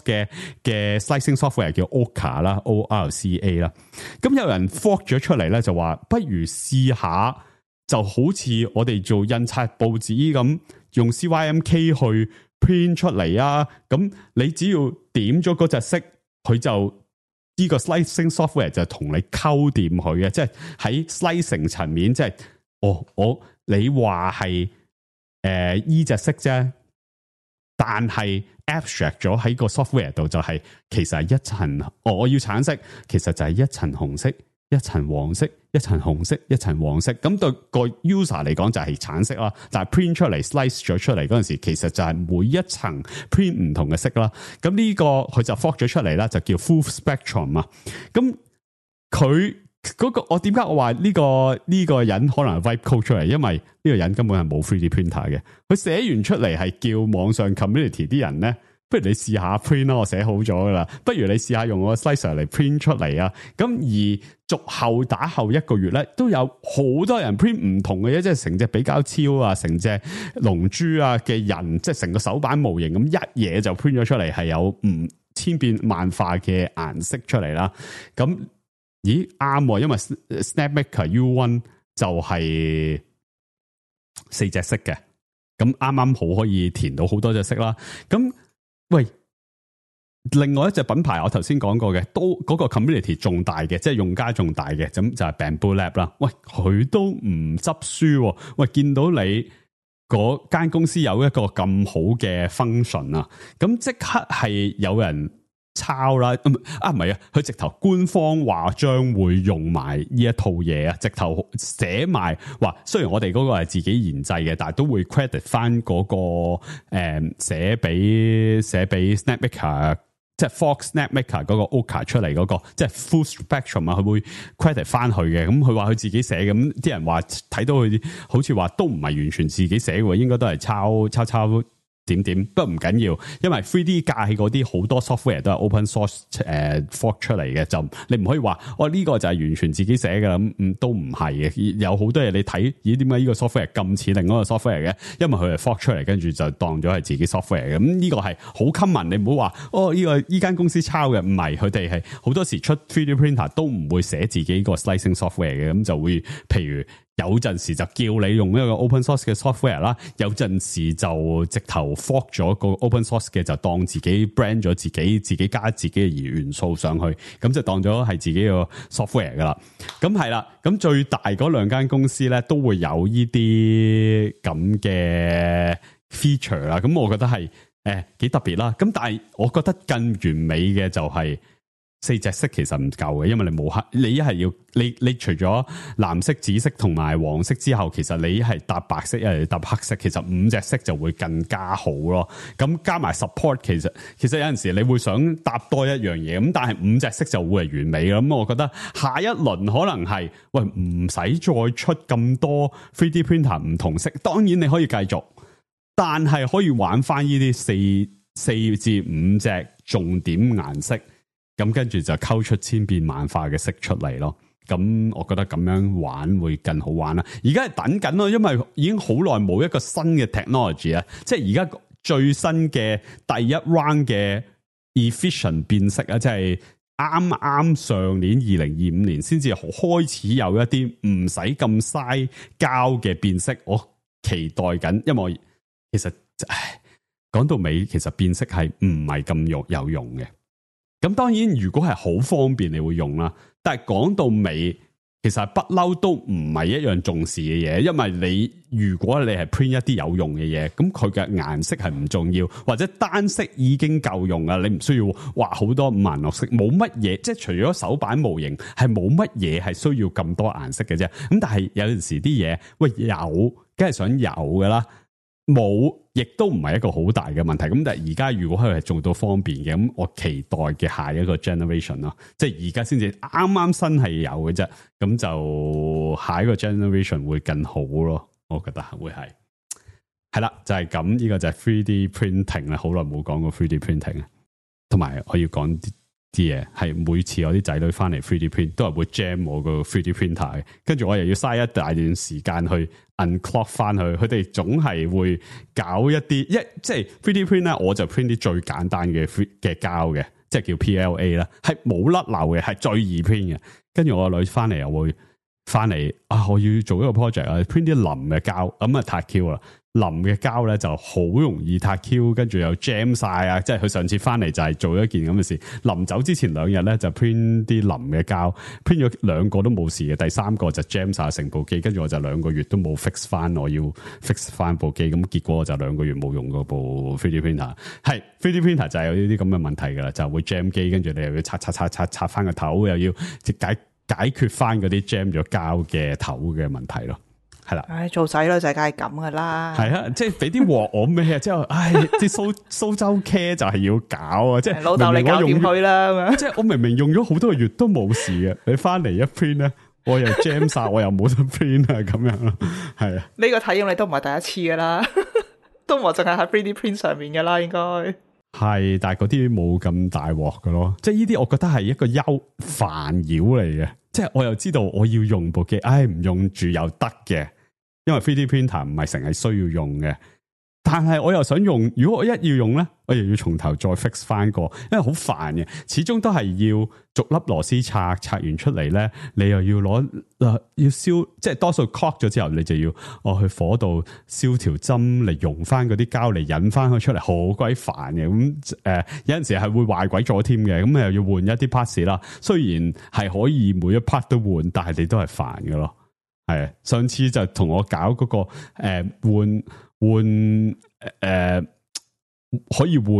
嘅 slicing software 叫 Orca 啦 ，ORCA 啦。咁有人 fork 咗出嚟咧，就話不如試下，就好似我哋做印刷報紙咁，用 CYMK 去 print 出嚟啊。咁你只要點咗嗰隻色，佢就呢個 slicing software 就同你溝掂佢嘅，即係喺 slicing 層面，即係你話係依隻色啫，但係 abstract 咗喺個 software 度就係其實係一層，我要橙色，其實就係一層紅色、一層黃色、一層紅色、一層黃色。咁對個 user 嚟講就係橙色啦，但係 print 出嚟 slice 咗出嚟嗰陣時，其實就係每一層 print 唔同嘅色啦。咁呢個佢就 fork 咗出嚟啦，就叫 full spectrum 啊。咁佢嗰個我點解我話呢個人可能係 Vibe Code 出嚟？因為呢個人根本係冇 3D printer 嘅，佢寫完出嚟係叫網上 community 啲人咧，不如你試下 print 啦，我寫好咗噶啦，不如你試下用我個 slicer 嚟 print 出嚟啊！咁而續後打後1個月咧，都有好多人 print 唔同嘅嘢，即係成隻比較超啊，成隻龍珠啊嘅人，即係成個手板模型咁一嘢就 print 咗出嚟，係有千變萬化嘅顏色出嚟啦。咁咦啱，因為 SnapMaker U1 就係4隻色嘅，咁啱啱好可以填到好多隻色啦。咁喂，另外一隻品牌我頭先講過嘅，都嗰個 community 仲大嘅，即係用家仲大嘅，咁就係 Bamboo Lab 啦。喂，佢都唔執輸，喂，見到你嗰間公司有一個咁好嘅 function 啊，咁即刻係有人抄啦，唔係啊，佢直頭官方話將會用埋呢一套嘢啊，直頭寫埋話，雖然我哋嗰個係自己研製嘅，但係都會 credit 翻嗰個寫俾 SnapMaker， 即係 Fox SnapMaker 嗰個 Orca 出嚟嗰個，即係 Full Spectrum 啊，佢會 credit 翻佢嘅。咁佢話佢自己寫嘅，咁啲人話睇到佢好似話都唔係完全自己寫嘅，應該都係抄點點，不過唔緊要，因為 3D 界嗰啲好多 software 都係 open source fork 出嚟嘅，就你唔可以話呢個就係完全自己寫嘅啦，都唔係嘅，有好多嘢你睇，咦點解呢個 software 咁似另一個 software 嘅？因為佢係 fork 出嚟，跟住就當咗係自己 software 嘅，咁呢個係好 common，你唔好話呢間公司抄嘅，唔係，佢哋係好多時出 3D printer 都唔會寫自己個 slicing software 嘅，咁就會譬如。有陣時就叫你用一個 open source 嘅 software 啦，有陣時就直頭 fork 咗個 open source 嘅，就當自己 brand 咗自己加自己嘅元素上去，咁就當咗係自己個 software 噶啦。咁係啦，咁最大嗰兩間公司咧都會有呢啲咁嘅 feature 啦。咁我覺得係幾特別啦。咁但係我覺得更完美嘅就係。4隻色其實唔夠嘅，因為你冇黑，你一係要你除咗藍色、紫色同埋黃色之後，其實你係搭白色，一係搭黑色，其實5隻色就會更加好咯。咁加埋 support， 其實有陣時你會想搭多一樣嘢，咁但係5隻色就會係完美嘅。咁我覺得下一輪可能係唔使再出咁多 3D printer 唔同色，當然你可以繼續，但係可以玩翻呢啲4至5隻重點顏色。咁跟住就溝出千變萬化嘅色出嚟咯，咁我覺得咁樣玩會更好玩啦。而家係等緊咯，因為已經好耐冇一個新嘅 technology 啊，即係而家最新嘅第一 round 嘅 efficient 變色啊，即係啱上年2025年先至開始有一啲唔使咁嘥膠嘅變色，我期待緊，因為其實講到尾，其實變色係唔係咁有用嘅。咁當然，如果係好方便，你會用啦。但係講到尾，其實不嬲都唔係一樣重視嘅嘢，因為如果你係 print 一啲有用嘅嘢，咁佢嘅顏色係唔重要，或者單色已經夠用啦，你唔需要畫好多五顏六色，冇乜嘢，即係除咗手板模型係冇乜嘢係需要咁多顏色嘅啫。咁但係有陣時啲嘢，有，梗係想有噶啦。冇，亦都唔係一個好大嘅問題。咁但係而家如果佢係做到方便嘅，咁我期待嘅下一個 generation 咯，即係而家先至啱新係有嘅啫。咁就下一個 generation 會更好咯，我覺得會係啦，就係咁。呢個就係 3D printing 啦，好耐冇講過 3D printing 啊。同埋我要講啲嘢係每次我啲仔女翻嚟 3D print 都係會 jam 我個 3D printer 嘅，跟住我又要嘥一大段時間去 unclog 翻去，佢哋總係會搞一啲即係 3D print 咧，我就 print 啲最簡單嘅膠嘅，即係叫 PLA 啦，係冇甩漏嘅，係最易 print 嘅。跟住我個女翻嚟又會翻嚟我要做一個 project 啊 ，print 啲腍嘅膠，咁啊太 Q 啦。腍嘅膠咧就好容易塌 Q， 跟住又 jam 晒啊！即係佢上次翻嚟就係做一件咁嘅事。臨走之前2日咧就 print 啲腍嘅膠 ，print 咗2個都冇事嘅，第3個就 jam 晒成部機，跟住我就2個月都冇 fix 翻，我要 fix 翻部機，咁結果我就2個月冇用嗰部 3D printer。係 3D printer 就係有呢啲咁嘅問題噶啦，就會 jam 機，跟住你又要拆翻個頭，又要解決翻嗰啲 jam 咗膠嘅頭嘅問題咯。係啦，做仔女就梗係咁噶啦。係啊，即係俾啲鑊我咩啊？之後，啲蘇州 care 就係要搞啊！即係老豆你搞掂佢啦咁樣。即係我明明用咗好多個月都冇事嘅，你翻嚟一 print 咧，我又 jam 晒，我又冇得 print 啊，咁樣咯。係啊，呢個體驗你都唔係第一次噶啦，都唔係淨係喺 3D print 上面噶啦，應該係，但係嗰啲冇咁大鑊噶咯。即係呢啲，我覺得係一個煩擾嚟嘅。即係我又知道我要用部機，唔用住又得嘅。因為 3D printer 唔係成日需要用嘅，但係我又想用，如果我一要用咧，我又要從頭再 fix 翻個，因為好煩嘅，始終都係要逐粒螺絲拆完出嚟咧，你又要攞要燒，即係多數 cock 咗之後，你就要去火度燒條針嚟溶翻嗰啲膠嚟引翻佢出嚟，好鬼煩嘅。咁有陣時係會壞鬼咗添嘅，咁又要換一啲 parts 啦。雖然係可以每一 part 都換，但係你都係煩嘅咯。係，上次就同我搞嗰個換可以換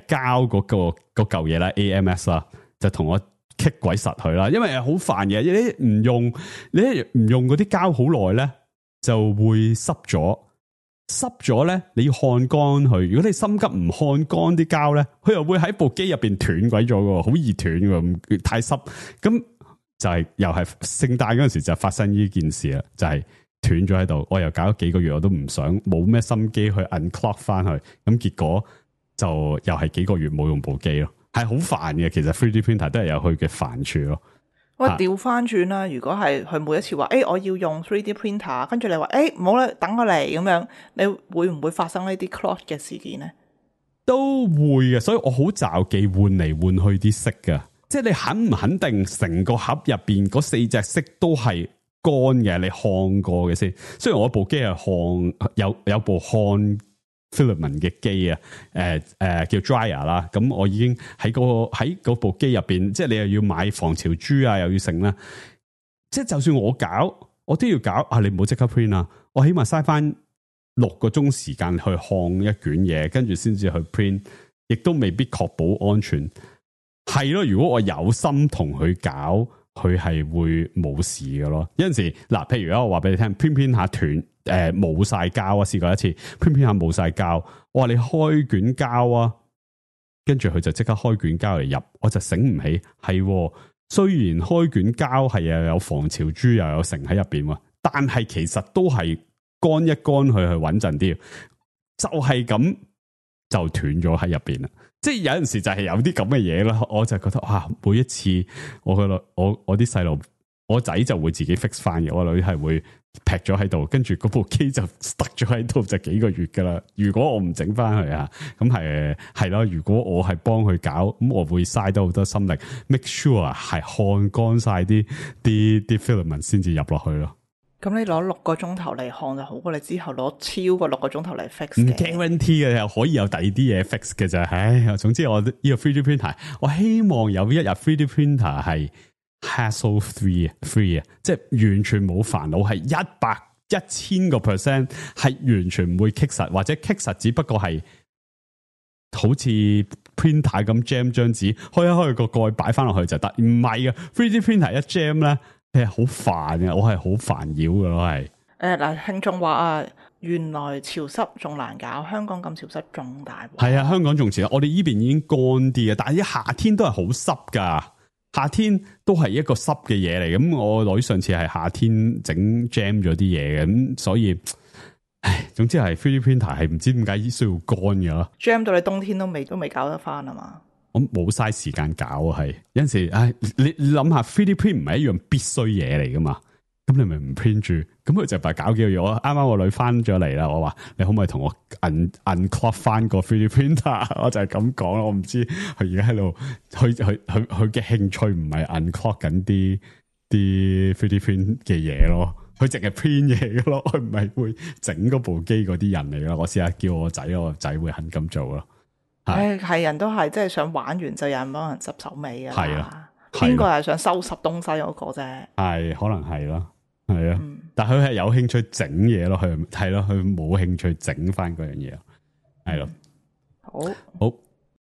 膠嗰嚿嘢啦 ，AMS 啦，就同我棘鬼實佢啦，因為好煩嘅，你唔用嗰啲膠好耐咧，就會濕咗咧，你要烘乾佢。如果你心急唔烘乾啲膠咧，佢又會喺部機入邊斷鬼咗嘅，好易斷嘅，太濕咁。就係又係聖誕嗰陣時就發生呢件事啦，就係斷咗喺度，我又搞咗幾個月，我都唔想冇咩心機去 unclock 翻去，咁結果就又係幾個月冇用部機咯，係好煩嘅。其實 3D printer 都係有佢嘅煩處咯。喂，調翻轉啦，如果係佢每一次話，我要用 3D printer， 跟住你話，唔好啦，等我嚟咁樣，你會唔會發生呢啲 clot 嘅事件呢？都會嘅，所以我好罩忌換嚟換去啲色噶，即係你肯唔肯定成個盒入邊嗰4隻色都係乾嘅，你看過嘅先。雖然我部機係看有部看 filament 嘅機啊，叫 dryer 啦，咁我已經喺嗰部機入邊，即係你又要買防潮珠啊，又要剩啦，即係就算我搞，我都要搞啊！你唔好即刻 print 啊，我起碼嘥翻6個鐘時間去看一卷嘢，跟住先至去 print， 亦都未必確保安全。係咯，如果我有心同佢搞，佢係會冇事嘅咯。有陣時嗱，譬如我話俾你聽 print 下斷。冇晒膠啊！試過一次，print 下冇晒膠，我話你開卷膠啊，跟住佢就即刻開卷膠嚟入，我就醒唔起係。雖然開卷膠係又有防潮珠又有成喺入邊，但係其實都係乾一乾佢去穩陣啲，就係咁就斷咗喺入邊啦。即係有陣時就係有啲咁嘅嘢啦，我就覺得哇！每一次我啲細路，我仔就會自己 fix 翻嘅，我女係會劈咗喺度，跟住嗰部機就 stuck 咗喺度就幾個月噶啦。如果我唔整翻佢啊，咁係咯。如果我係幫佢搞，咁我會嘥多好多心力 ，make sure 係看乾晒啲 filament 先至入落去咯。咁你攞6個鐘頭嚟看就好過你之後攞超過6個鐘頭嚟 fix 嘅。唔 guarantee 嘅，又可以有第二啲嘢 fix 嘅啫。唉，總之我呢個 3D printer， 我希望有一日 3D printer 係hassle free 啊，即係完全冇煩惱，係1000%係完全唔會棘實，或者棘實只不過係好似 printer 咁 jam 張紙，開一開個蓋擺翻落去就得。唔係嘅 3D printer 一 jam 咧，係好煩嘅，我係好煩擾嘅咯，係。嗱，聽眾話啊，原來潮濕仲難搞，香港咁潮濕仲大鑊。係啊，香港仲潮，我哋呢邊已經乾啲嘅，但係啲夏天都係好濕噶。夏天都係一個濕嘅嘢嚟，咁我女上次係夏天整 jam 咗啲嘢嘅，咁所以，唉，總之係 3D printer 係唔知點解需要乾嘅咯。jam 到你冬天都未搞得翻啊嘛？我冇嘥時間搞啊，係有陣時，唉，你諗下 3D print 唔係一樣必須嘢嚟噶嘛？咁你咪唔 print 住，咁佢就係搞幾個月。我啱啱我女翻咗嚟啦，我話你可唔可以同我 unclock 翻個 3D printer？ 我就係咁講啦，我唔知佢而家喺度，佢嘅興趣唔係 unclock 緊啲 3D print 嘅嘢咯，佢淨係 print 嘢嘅咯，佢唔係會整嗰部機嗰啲人嚟咯。我試下叫我仔會肯咁做咯。係人都係，即係想玩完就有人幫人執手尾啊。係啊，邊個係想收拾東西嗰個啫？係可能係咯。係啊，但佢係有興趣整嘢咯，佢係咯，佢冇興趣整翻嗰樣嘢，係咯。好，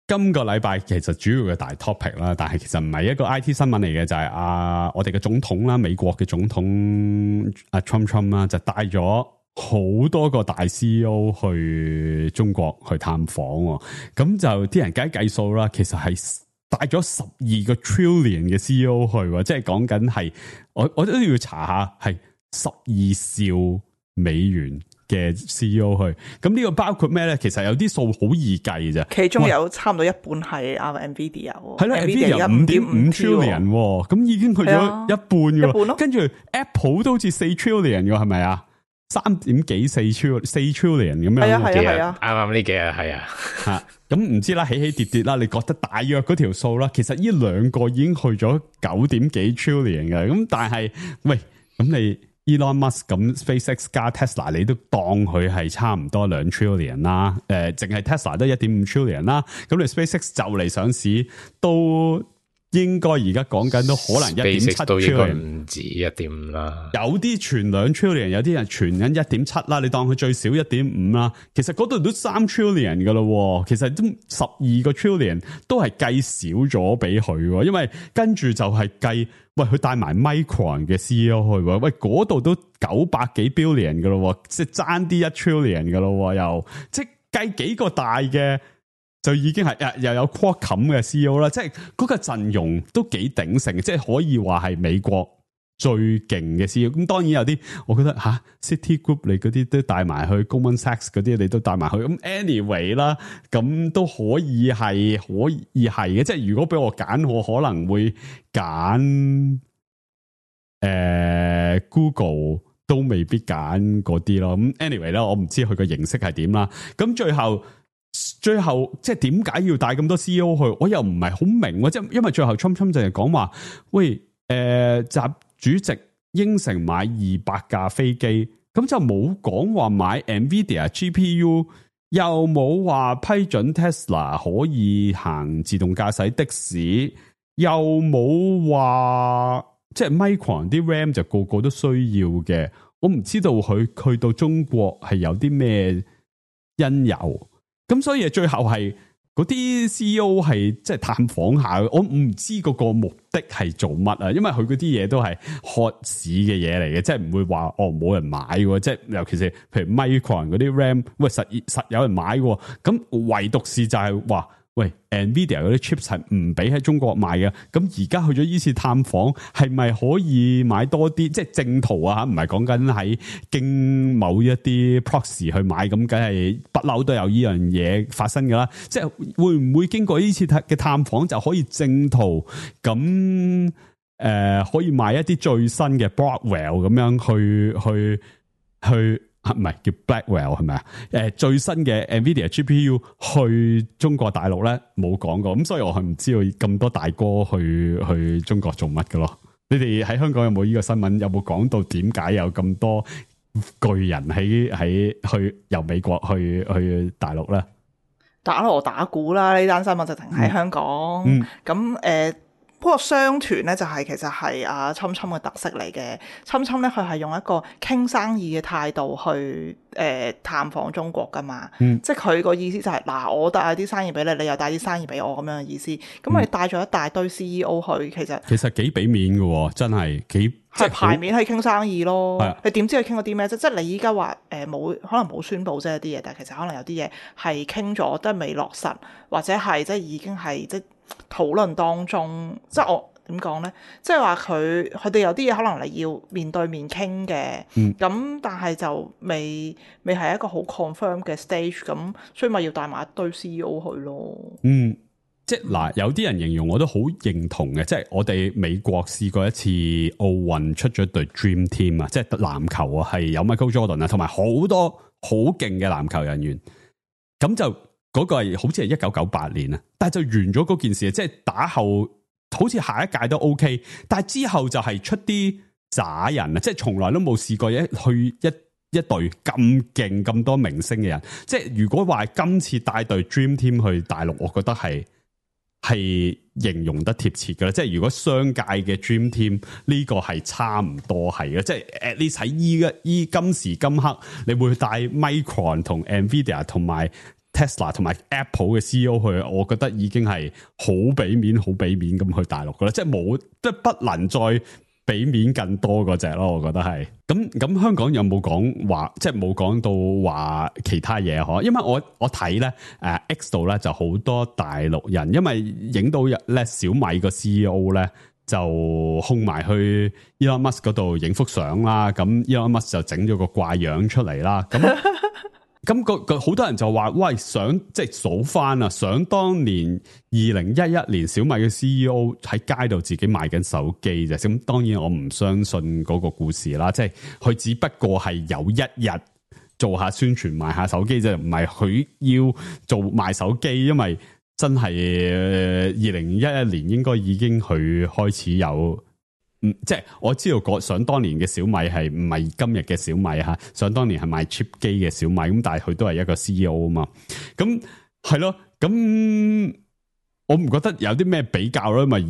今個禮拜其實主要嘅大 topic 啦，但係其實唔係一個 IT 新聞嚟嘅，就係我哋嘅總統啦，美國嘅總統阿 Trump 啦，就帶咗好多個大 CEO 去中國去探訪，咁就啲人計數啦，其實係帶咗12個 trillion 嘅 CEO 去，即係講緊係我都要查下，係12兆美元嘅 CEO 去。咁呢個包括咩咧？其實有啲數好易計嘅啫，其中有差唔多一半係NVIDIA，係啦，NVIDIA 5.5 trillion， 咁已經去咗一半嘅，跟住 Apple 都好似4 trillion 嘅，係咪啊？3點幾4 trillion 咁樣，係啊，啱呢幾日係啊，吓咁唔知啦，起起跌跌啦，你覺得大約嗰條數啦？其實呢兩個已經去咗9點幾 trillion 嘅，咁但係喂，咁你 Elon Musk 咁 SpaceX 加 Tesla， 你都當佢係差唔多2 trillion 啦，淨係 Tesla 都1.5 trillion 啦，咁你 SpaceX 就嚟上市都。應該而家講緊都可能1.7 trillion， 唔止1.5啦。有啲傳2 trillion， 有啲人傳緊1.7啦。你當佢最少 1.5 啦。其實嗰度都3 trillion 噶啦。其實都12個 trillion 都係計少咗俾佢，因為跟住就係計，喂，佢帶埋 Micron 嘅 CEO 去，喂，嗰度都900幾 billion 噶啦，即係爭啲1 trillion 噶啦，又即係計幾個大嘅。就已經係又有 Qualcomm 嘅 CEO 啦，即係嗰個陣容都幾鼎盛，即係可以話係美國最勁嘅 CEO。咁當然有啲，我覺得City Group 你嗰啲都帶埋去 Goldman Sachs 嗰啲，你都帶埋去。咁 anyway 啦，咁都可以係嘅。即係如果俾我揀，我可能會揀Google，都未必揀嗰啲咯。咁 anyway 咧，我唔知佢個形式係點啦。咁最後即係點解要帶咁多 CEO 去？我又唔係好明，即係因為最後 Trump 就係講話，喂，習主席應承買200架飛機，咁就冇講話買 Nvidia GPU，又冇話批准 Tesla 可以行自動駕駛的士，又冇話即係 Micron 啲 RAM 就個個都需要嘅。我唔知道佢去到中國係有啲咩因由，咁所以最後係嗰啲 CEO 係即係探訪下，我唔知嗰個目的係做乜啊？因為佢嗰啲嘢都係渴市嘅嘢嚟嘅，即係唔會話冇人買嘅，即係尤其是譬如 Micron 嗰啲 RAM， 喂實有人買嘅，咁唯獨是就係話，喂 Nvidia 嗰啲 chips 係唔俾喺中國賣嘅，咁而家去咗依次探訪，係咪可以買多啲？即係正途啊，唔係講緊喺經某一啲 proxy 去買，咁梗係不嬲都有呢樣嘢發生噶啦。即係會唔會經過呢次嘅探訪就可以正途咁可以買一啲最新嘅 Broadwell 咁樣去唔係叫 Blackwell 係咪啊？最新嘅 Nvidia GPU 去中國大陸咧冇講過，咁所以我係唔知道咁多大哥去中國做乜嘅咯。你哋喺香港有冇呢個新聞？有冇講到點解有咁多巨人去由美國去大陸咧？打鑼打鼓啦！呢單新聞就停喺香港。咁不過商團咧就係其實係阿侵侵嘅特色嚟嘅。侵侵咧佢係用一個傾生意嘅態度去探訪中國噶嘛。即係佢個意思就係嗱，我帶啲生意俾你，你又帶啲生意俾我咁樣嘅意思。咁我哋帶咗一大堆 CEO 去，其實幾俾面嘅，真係幾係牌面去傾生意咯。你點知佢傾咗啲咩啫？即係你依家話冇可能冇宣佈啫啲嘢，但係其實可能有啲嘢係傾咗都係未落實，或者係即係已經係即討論當中，即係我點講咧？即係話佢哋有啲嘢可能你要面對面傾嘅，咁但係就未係一個好 confirm 嘅 stage， 咁所以咪要帶埋一堆 CEO 去咯。即係嗱，有啲人形容我都好認同嘅，即係我哋美國試過一次奧運出咗隊 Dream Team 啊，即係籃球啊，係有 Michael Jordan 啊，同埋好多好勁嘅籃球人員，咁就。嗰個係好似係1998年啊，但係就完咗嗰件事，即係打後好似下一屆都 OK， 但係之後就係出啲渣人啊，即係從來都冇試過去一隊咁勁咁多明星嘅人，即係如果話今次帶隊 Dream Team 去大陸，我覺得係形容得貼切㗎啦，即係如果商界嘅 Dream Team 呢個係差唔多係嘅，即係 at least 喺今時今刻，你會帶 Micron 同 Nvidia 同埋Tesla 同埋 Apple 嘅 CEO 去，我覺得已經係好俾面咁去大陸噶啦，即係不能再俾面更多嗰隻咯，我覺得係。咁香港有冇講話，即係冇講到話其他嘢嗬？因為我睇咧X 度咧就好多大陸人，因為影到咧小米個 CEO 咧就控埋去 Elon Musk 嗰度影幅相啦，咁 Elon Musk 就整咗個怪樣出嚟啦，咁。咁好多人就話，喂，想即係數翻啊！想當年2011年小米嘅 CEO 喺街度自己賣緊手機啫。咁當然我唔相信嗰個故事啦，即係佢只不過係有一日做下宣傳賣下手機啫，唔係佢要做賣手機，因為真係2011年應該已經佢開始有。即係我知道想當年嘅小米係唔係今日嘅小米吓，想當年係賣 chip 機嘅小米，咁但係佢都係一個 CEO 啊嘛，咁係咯，咁我唔覺得有啲咩比較咯，因為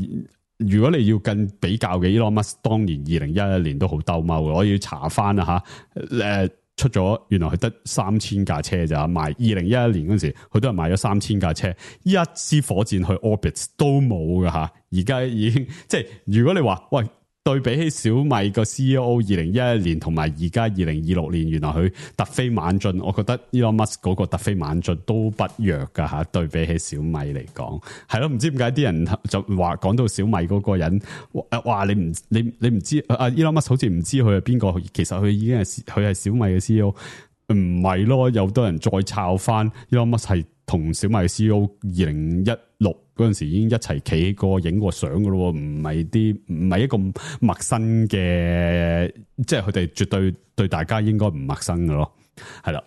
如果你要更比較嘅 Elon Musk 當年2011年都好兜踎嘅，我要查翻啊吓，出咗原來佢得3000架車咋，賣2011年嗰陣時佢都係賣咗3000架車，一支火箭去 orbit 都冇㗎吓，而家已經即係如果你話喂。對比起小米個 CEO 2011年同埋而家2026年，原來佢突飛猛進，我覺得 Elon Musk 嗰個突飛猛進都不弱噶吓。對比起小米嚟講，係咯，唔知點解啲人就話講到小米嗰個人，話你唔知Elon Musk 好似唔知佢係邊個，其實佢已經係小米嘅 CEO， 唔係咯？有多人再抄翻 Elon Musk 係同小米嘅 CEO 2016嗰陣時已經一齊企過影過相噶咯，唔係一個陌生嘅，即係佢哋絕對大家應該唔陌生噶咯，係啦。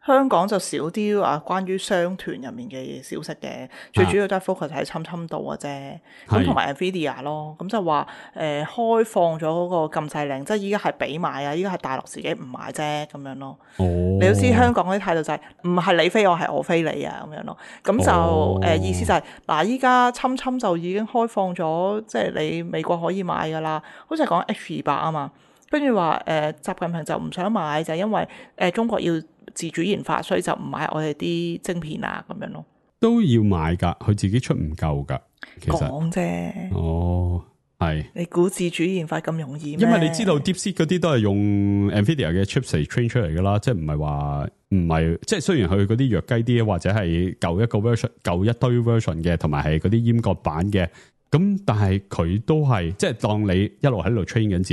香港就少啲話關於商團入面嘅消息嘅，最主要都係 focus 喺侵度嘅啫。咁同埋 Nvidia 咯，咁就話開放咗嗰個禁制令，即係依家係俾買啊，依家係大陸自己唔買啫咁樣咯。你都知香港嗰啲態度就係唔係你飛我，係我飛你啊咁樣咯。咁就意思就係嗱，依家侵就已經開放咗，即係你美國可以買噶啦，好似係講 H200啊嘛。跟住話習近平就唔想買，就係因為中國要自主研發，所以就唔買我哋啲晶片啊咁樣咯。都要買噶，佢自己出唔夠噶。其實講啫。係。你估自主研發咁容易咩？因為你知道 DeepSeek 嗰啲都係用 Nvidia 嘅 chips 嚟 train 出嚟噶啦，即係唔係即係雖然佢嗰啲弱雞啲，或者係舊一堆 version 嘅，同埋係嗰啲閹割版嘅，咁但係佢都係即係當你一路喺度 train 緊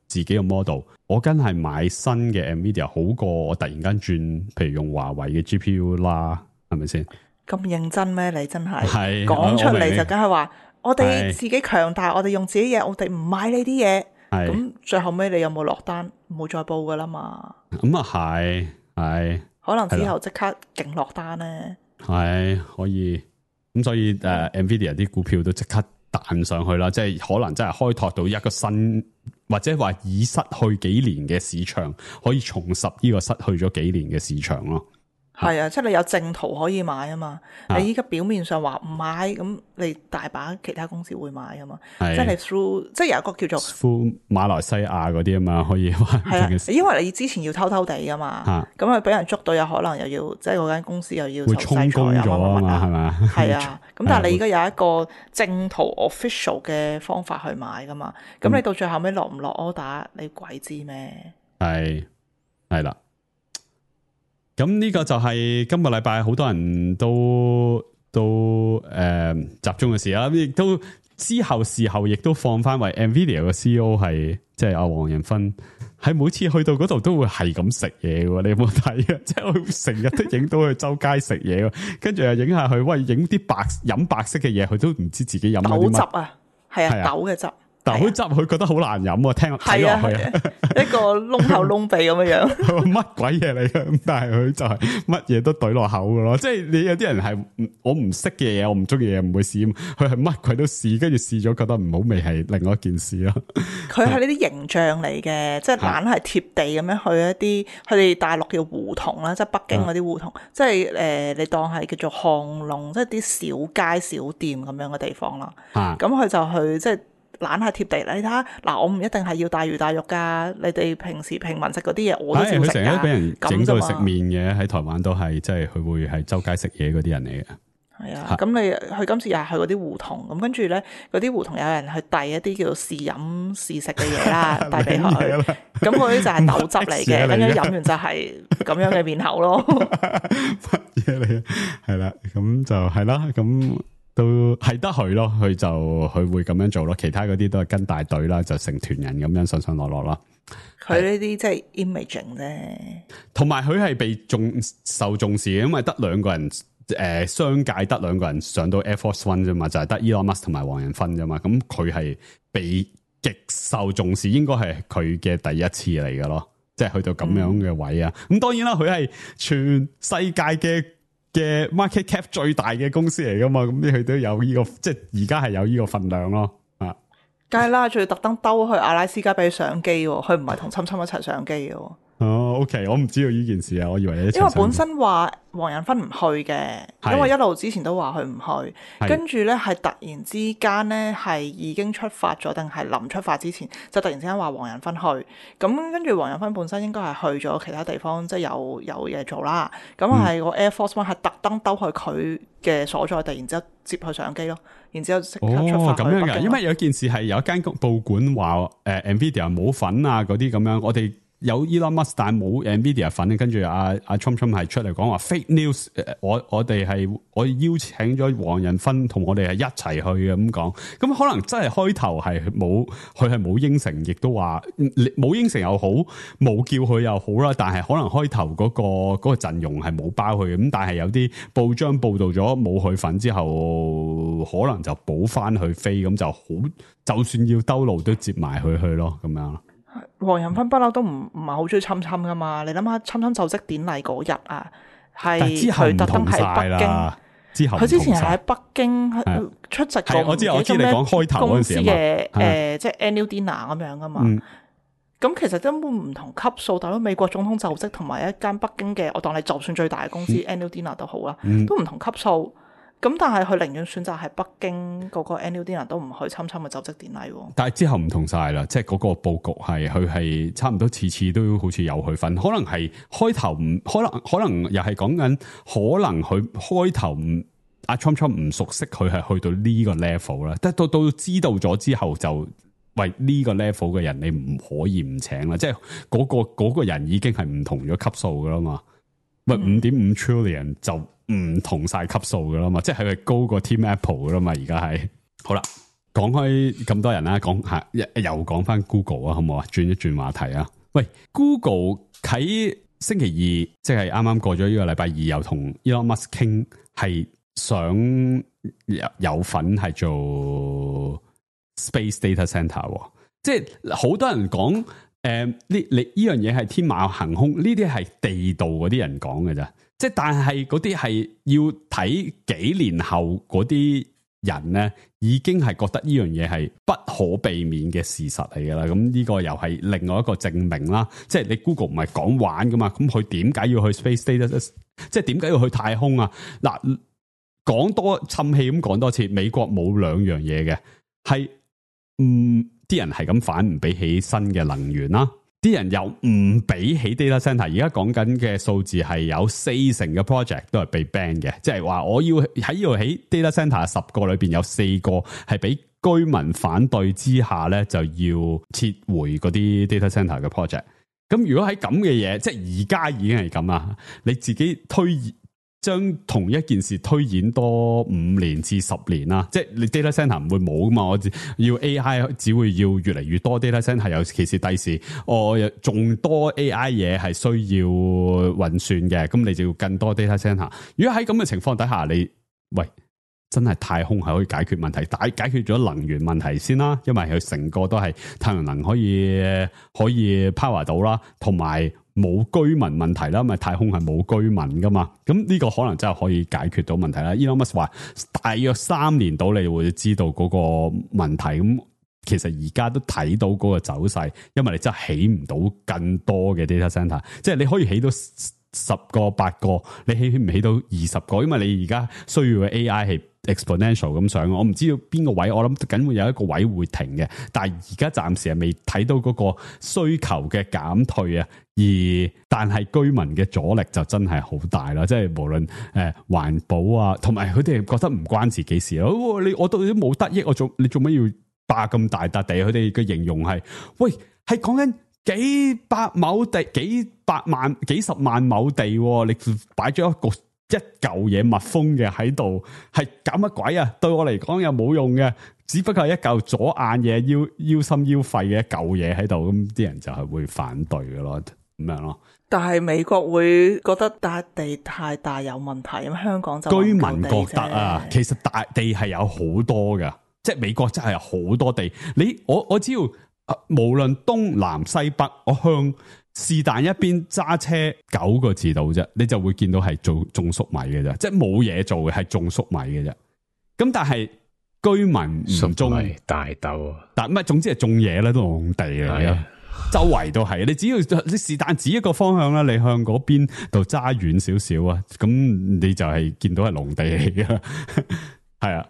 自己嘅 model， 我梗係買新嘅 Nvidia 好過我突然間轉，譬如用華為嘅 GPU 啦，係咪先？咁認真咩？你真係講出嚟就梗係話，我哋自己強大，我哋用自己嘢，我哋唔買呢啲嘢。咁最後尾你有冇落單？冇再報噶啦嘛。咁啊係，可能之後即刻勁落單咧。係可以，咁所以Nvidia 啲股票都即刻彈上去啦，即係可能真係開拓到一個新，或者話已失去幾年嘅市場，可以重拾呢個失去咗幾年嘅市場咯。係啊，即係你有正途可以買啊嘛。你依家表面上話唔買，咁你大把其他公司會買啊嘛。即係你 through， 即係有一個叫做 through 馬來西亞嗰啲啊嘛，可以話係啊。因為你之前要偷偷地噶嘛，咁啊俾人捉到，有可能又要即係嗰間公司又要會充公咗啊嘛，係咪？係啊，咁但係你而家有一個正途 official 嘅方法去買噶嘛，咁你到最後尾落唔落 order，你鬼知咩？係啦。咁呢個就係今個禮拜好多人都集中嘅事啦，亦都之後事後亦都放翻為 Nvidia 嘅 CEO 係即係阿黃仁勳，喺每次去到嗰度都會係咁食嘢嘅，你有冇睇啊？即係佢成日都影到佢周街食嘢，跟住又影下佢，喂，影啲飲白色嘅嘢，佢都唔知自己飲咗啲乜。豆汁啊，係啊，豆嘅汁。豆汁佢覺得好難飲啊，睇落去一個窿口窿鼻咁樣，乜鬼嘢嚟嘅？咁但係佢就係乜嘢都懟落口嘅咯。即係你有啲人係我唔識嘅嘢，我唔中意嘅嘢唔會試，佢係乜鬼都試，跟住試咗覺得唔好味係另外一件事咯。佢係呢啲形象嚟嘅，即係懶係貼地咁樣去一啲佢哋大陸叫胡同啦，即係北京嗰啲胡同，即係你當係叫做巷弄，即係啲小街小店咁樣嘅地方啦。咁佢就去即係。懶係貼地，你睇下嗱，我唔一定係要大魚大肉噶，你哋平時平民食嗰啲嘢我都照食噶。佢成日都俾人整到食麵嘅，喺台灣都係，即係佢會係周街食嘢嗰啲人嚟嘅。係啊，咁你佢今次又係去嗰啲胡同，咁跟住咧嗰啲胡同有人去遞一啲叫做試飲試食嘅嘢啦，遞俾佢。咁嗰啲就係豆汁嚟嘅，跟住飲完就係咁樣嘅面口咯。乜嘢嚟？係啦，咁就係啦，咁。都係得佢咯，佢會咁樣做咯，其他嗰啲都係跟大隊啦，就成團人咁樣上上落落啦。佢呢啲即係 imaging 啫，同埋佢係被受重視嘅，因為得兩個人商界得兩個人上到 Air Force One 啫嘛，就係得 Elon Musk 同埋黃仁勳啫嘛，咁佢係被極受重視，應該係佢嘅第一次嚟嘅咯，即係去到咁樣嘅位啊。咁當然啦，佢係全世界嘅 market cap 最大嘅公司嚟噶嘛，咁佢都有呢個，即係而家係有呢個份量咯，啊，梗係啦，仲要特登兜去阿拉斯加俾佢上機，佢唔係同侵一齊上機嘅。哦 OK， 我唔知道呢件事啊，我以為你因為本身話黃仁勳唔去嘅，因為一路之前都話佢唔去，跟住咧係突然之間咧係已經出發咗，定係臨出發之前就突然之間話黃仁勳去，咁跟住黃仁勳本身應該係去咗其他地方，即係有嘢做啦，咁係個 Air Force One 係特登兜去佢嘅所在地，然之後接佢上機咯，然之後即刻出發去北京。咁樣㗎，因為有件事係有一間報館話Nvidia 冇份啊嗰啲咁樣，我哋有 Elon Musk 但係冇 Nvidia 份，跟住阿 Trump 係出嚟講話 fake news，我邀請咗黃仁勳同我哋係一齊去嘅咁講，咁可能真係開頭係佢係冇應承，亦都話冇應承又好，冇叫佢又好啦，但係可能開頭嗰個陣容係冇包佢咁，但係有啲報章報道咗冇佢份之後，可能就補翻去飛，咁就好，就算要兜路都接埋佢去咯，咁樣。黃仁勳不嬲都唔係好中意侵侵噶嘛，你諗下侵侵就職典禮嗰日啊，係佢特登喺北京，佢之前係喺北京出席過我知你講開頭嗰陣時嘅即係 annual dinner 咁樣噶嘛，咁其實根本唔同級數，但係美國總統就職同埋一間北京嘅，我當你就算最大嘅公司 annual dinner 都好啦，都唔同級數。咁但係佢寧願選擇喺北京嗰個 annual dinner 都唔去侵侵嘅就職典禮。但係之後唔同晒啦，即係嗰個佈局係佢係差唔多次次都好似有佢份，可能係開頭唔可能又係講緊，可能佢開頭唔阿 Trump 唔熟悉佢係去到呢個 level 啦，但到知道咗之後就喂呢個 level 嘅人你唔可以唔請啦，即係嗰個人已經係唔同咗級數噶啦嘛，喂5.5 trillion 就。唔同晒級數噶啦嘛，即係佢高過 Team Apple 噶啦嘛，而家係好啦。講開咁多人啦，又講翻 Google 啊，好唔好啊？轉一轉話題啊。喂 ，Google 喺星期二，即係啱啱過咗呢個禮拜二，又同 Elon Musk 傾，係想有份係做 Space Data Center，即係好多人講，呢樣嘢係天馬行空，呢啲係地道嗰啲人講嘅咋。即係，但係嗰啲係要睇幾年後嗰啲人咧，已經係覺得呢樣嘢係不可避免嘅事實嚟噶啦。咁呢個又係另外一個證明啦。即係你 Google 唔係講玩噶嘛，咁佢點解要去 Space Data？ 即係點解要去太空啊？嗱，講多氹氣咁講多次，美國冇兩樣嘢嘅，係啲人係咁反唔俾起新嘅能源啦。啲人又唔俾起 data center， 而家講緊嘅數字係有40%嘅 project 都係被 ban 嘅，即係話我要喺呢度起 data center 10個裏邊有4個係俾居民反對之下咧，就要撤回嗰啲 data center 嘅 project。咁如果喺咁嘅嘢，即係而家已經係咁啦，你自己將同一件事推演多5年至10年啦，即係你 data center 唔會冇噶嘛，我要 AI 只會要越嚟越多 data center， 尤其是第時我仲多 AI 嘢係需要運算嘅，咁你就要更多 data center。如果喺咁嘅情況底下，你真係太空係可以解決問題，解決咗能源問題先啦，因為佢成個都係太陽能可以 power 到啦，同埋冇居民問題啦，因為太空係冇居民噶嘛，咁呢個可能真係可以解決到問題啦。Elon Musk 話大約3年到你會知道嗰個問題，咁其實而家都睇到嗰個走勢，因為你真係起唔到更多嘅 data center， 即係你可以起到10個8個，你起唔起到20個？因為你而家需要嘅 AI 係 exponential 咁上，我唔知道邊個位，我諗緊會有一個位會停嘅，但係而家暫時係未睇到嗰個需求嘅減退啊，但係居民嘅阻力就真係好大啦，即係無論環保啊，同埋佢哋覺得唔關自己事咯，我到底都冇得益，你做乜要霸咁大笪地？佢哋嘅形容係，喂，係講緊幾百畝地、幾十萬畝地，你擺咗一嚿嘢密封嘅喺度，係搞乜鬼啊？對我嚟講又冇用嘅，只不過係一嚿左眼嘢，腰心腰肺嘅一嚿嘢喺度，咁啲人就係會反對嘅咯，咁樣咯。但係美國會覺得笪地太大有問題，咁香港就居民覺得啊，其實大地係有好多㗎，即係美國真係有好多地。我只要無論東南西北，我向是但一邊揸車9個字度啫，你就會見到係種粟米嘅啫，即係冇嘢做嘅係種粟米嘅啫。咁但係居民唔種大豆，但唔係，總之係種嘢咧，都農地嚟嘅。周圍都係，你只要你是但指一個方向啦，你向嗰邊度揸遠少少啊，咁你就係見到係農地嚟嘅，係啊，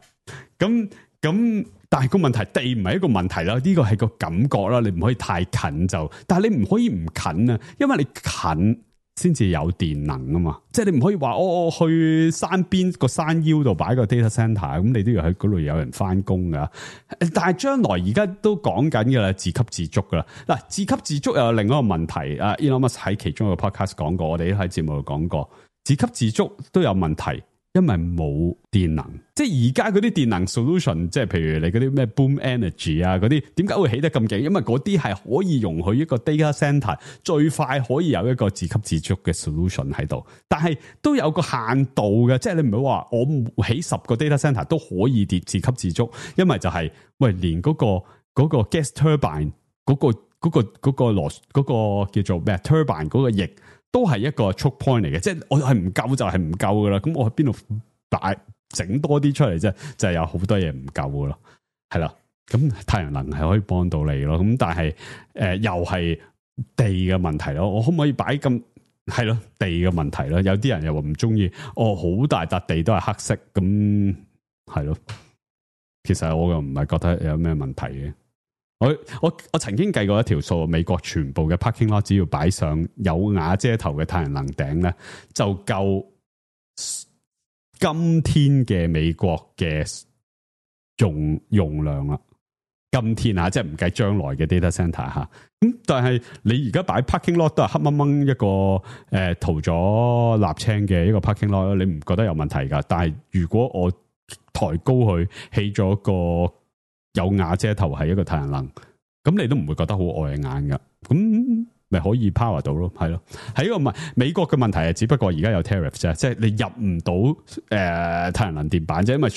咁但係個問題，地唔係一個問題啦，呢個係個感覺啦，你唔可以太近就，但係你唔可以唔近啊，因為你近先至有電能啊嘛，即係你唔可以話我去山邊個山腰度擺個 data center， 咁你都要喺嗰度有人翻工噶。但係將來而家都講緊噶啦，自給自足噶啦。嗱，自給自足又有另一個問題。Elon Musk 喺其中一個 podcast 講過，我哋都喺節目度講過，自給自足都有問題。因為冇電能，即係而家嗰啲電能 solution， 即係譬如你嗰啲咩 boom energy 啊嗰啲，點解會起得咁勁？因為嗰啲係可以容許一個 data center 最快可以有一個自給自足嘅 solution 喺度，但係都有個限度嘅，即係你唔好話我起10個 data center 都可以自給自足，因為就係、喂連嗰個 gas turbine 嗰個叫做咩 turbine 嗰個翼。都係一個 choke point 嚟嘅，即係我係唔夠就係唔夠噶啦，咁我喺邊度整多啲出嚟啫，就係有好多嘢唔夠噶咯，係啦，咁太陽能係可以幫到你咯，咁但係又係地嘅問題咯，我可唔可以擺咁係咯地嘅問題咯？有啲人又話唔中意，好大笪地都係黑色，咁係咯，其實我又唔係覺得有咩問題嘅。我曾經計過一條數，美國全部嘅 parking lot 只要擺上有瓦遮頭嘅太陽能頂咧，就夠今天嘅美國嘅用量啦。今天啊，即係唔計將來嘅 data center 吓。咁但係你而家擺 parking lot 都係黑掹掹一個塗咗瀝青嘅一個 parking lot，你唔覺得有問題噶？但係如果我抬高佢起咗個有瓦遮頭係一個太陽能，咁你都唔會覺得好礙眼噶，咁咪可以 power 到咯，係咯，係一個美國嘅問題係，只不過而家有 tariff 啫，即係你入唔到太陽能電板啫，因為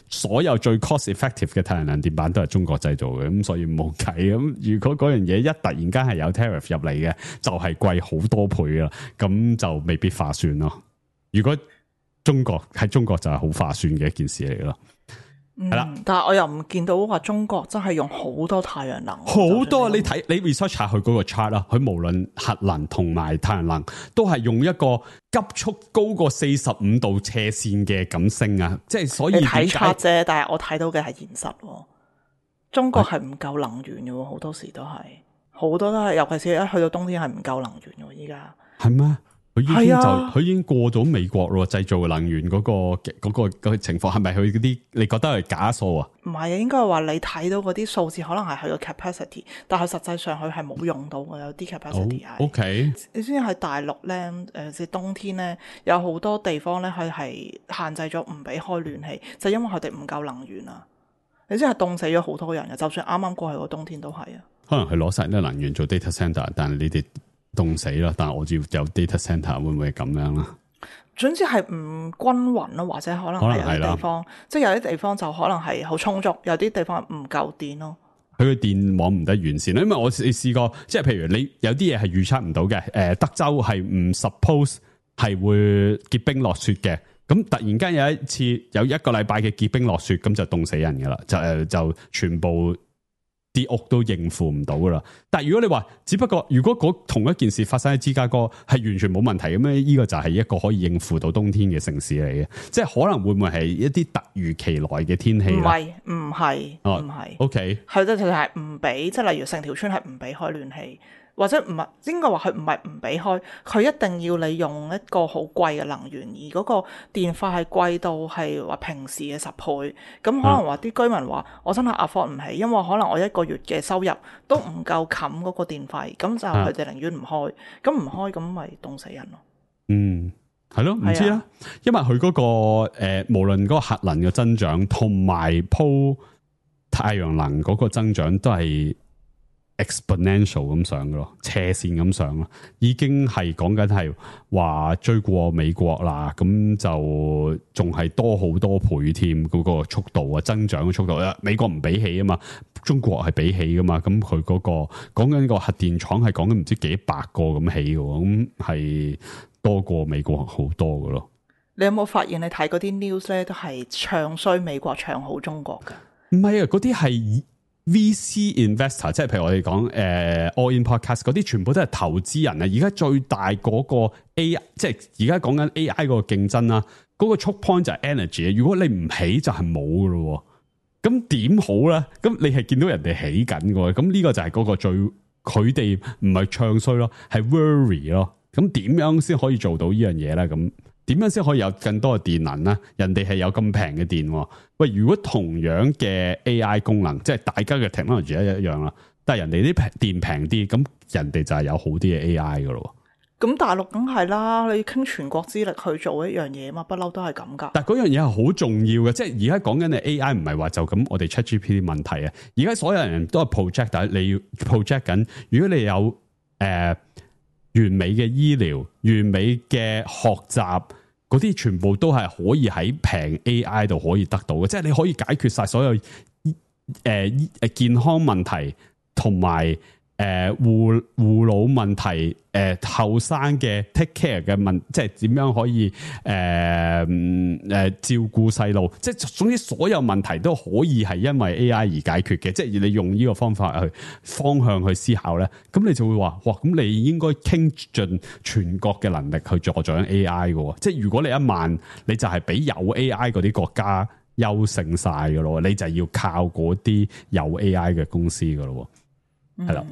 所有最 cost effective 嘅太陽能電板都係中國製造嘅，咁所以冇計。咁如果嗰樣嘢一突然間係有 tariff 入嚟嘅，就係貴好多倍啦，咁就未必划算咯。如果中國就係好划算嘅一件事嚟咯。係啦，但係我又唔見到話中國真係用好多太陽能，好多你睇你 research 下佢嗰個 chart 啦，佢無論核能同埋太陽能都係用一個急速高過45度斜線嘅咁升啊，即係所以你睇 chart 啫，但係我睇到嘅係現實，中國係唔夠能源嘅，好多時都係，好多都係，尤其是一去到冬天係唔夠能源嘅，依家係咩？佢已經過咗美國咯，製造能源嗰個情況係咪佢嗰啲？你覺得係假數啊？唔係啊，應該係話你睇到嗰啲數字可能係佢個 capacity， 但係實際上佢係冇用到嘅，有啲 capacity 係。OK， 你知唔知喺大陸咧？即係冬天咧，有好多地方咧，佢係限制咗唔俾開暖氣，就因為佢哋唔夠能源啊！你知係凍死咗好多人嘅，就算啱啱過去個冬天都係啊。可能係攞晒啲能源做 data center， 但係你哋凍死啦，但係我要有 data center 會唔會咁樣啦？總之係唔均勻咯，或者可能係有啲地方，即係有啲地方就可能係好充足，有啲地方唔夠電咯。佢個電網唔得完善，因為我試過，即係譬如你有啲嘢係預測唔到嘅，德州係唔 suppose 係會結冰落雪嘅，咁突然間有一次有一個禮拜嘅結冰落雪，咁就凍死人噶啦，就全部。啲屋都應付唔到噶啦，但係如果你話，只不過如果同一件事發生喺芝加哥，係完全冇問題咁樣，呢個就係一個可以應付到冬天嘅城市嚟嘅，即係可能會唔會係一啲突如其來嘅天氣咧？唔係，OK，係即係唔俾，即係例如成條村係唔俾開暖氣。或者唔係應該話佢唔係唔俾開，佢一定要你用一個好貴嘅能源，而嗰個電費係貴到係話平時嘅10倍。咁可能話啲居民話我真係 afford 唔起，因為可能我一個月嘅收入都唔夠冚嗰個電費，咁就佢哋寧願唔開。咁唔開咁咪凍死人咯。嗯，係咯，唔知啦，因為佢嗰個無論嗰個核能嘅增長同埋鋪太陽能嗰個增長都係exponential 咁上嘅咯，斜線咁上咯，已經係講緊係話追過美國啦，咁就仲係多好多倍添，嗰個速度啊，增長嘅速度啊，美國唔俾起啊嘛，中國係俾起噶嘛，咁佢嗰個講緊個核電廠係講緊唔知幾百個咁起嘅，咁係多過美國好多嘅咯。你有冇發現你睇嗰啲 news 咧，都係唱衰美國，唱好中國噶？唔係啊，嗰啲係 VC investor， 即係譬如我哋講All In Podcast 嗰啲，全部都係投資人啊！而家最大嗰個 AI， 即係而家講緊 AI 嗰個競爭啦，嗰、嗰個 choke point 就係 energy。如果你唔起就係冇噶咯，咁點好咧？咁你係見到人哋起緊嘅，咁呢個就係嗰個最佢哋唔係唱衰咯，係 worry 咯。咁點樣先可以做到呢樣嘢咧？咁點樣先可以有更多嘅電能咧？人哋係有咁平嘅電，喂，如果同樣嘅 AI 功能，即係大家嘅 technology 一樣啦，但係人哋啲電平啲，咁人哋就係有好啲嘅 AI 噶咯。咁大陸梗係啦，你傾全國之力去做一樣嘢嘛，不嬲都係咁噶。但係嗰樣嘢係好重要嘅，即係而家講緊嘅 AI 唔係話就咁我哋 ChatGPT 問題啊，而家所有人都係 project， 但係你要 project 緊，如果你有完美嘅醫療、完美嘅學習，嗰啲全部都係可以喺平 AI 度可以得到嘅，即係你可以解決晒所有健康問題同埋護老問題，後生嘅 take care 嘅問，即係點樣可以照顧細路，即係總之所有問題都可以係因為 AI 而解決嘅，即係你用呢個方法去方向去思考咧，咁你就會話，哇，咁你應該傾盡全國嘅能力去助長 AI 嘅，即係如果你一萬，你就係比有 AI 嗰啲國家優勝晒嘅咯，你就要靠嗰啲有 AI 嘅公司嘅咯。係啦，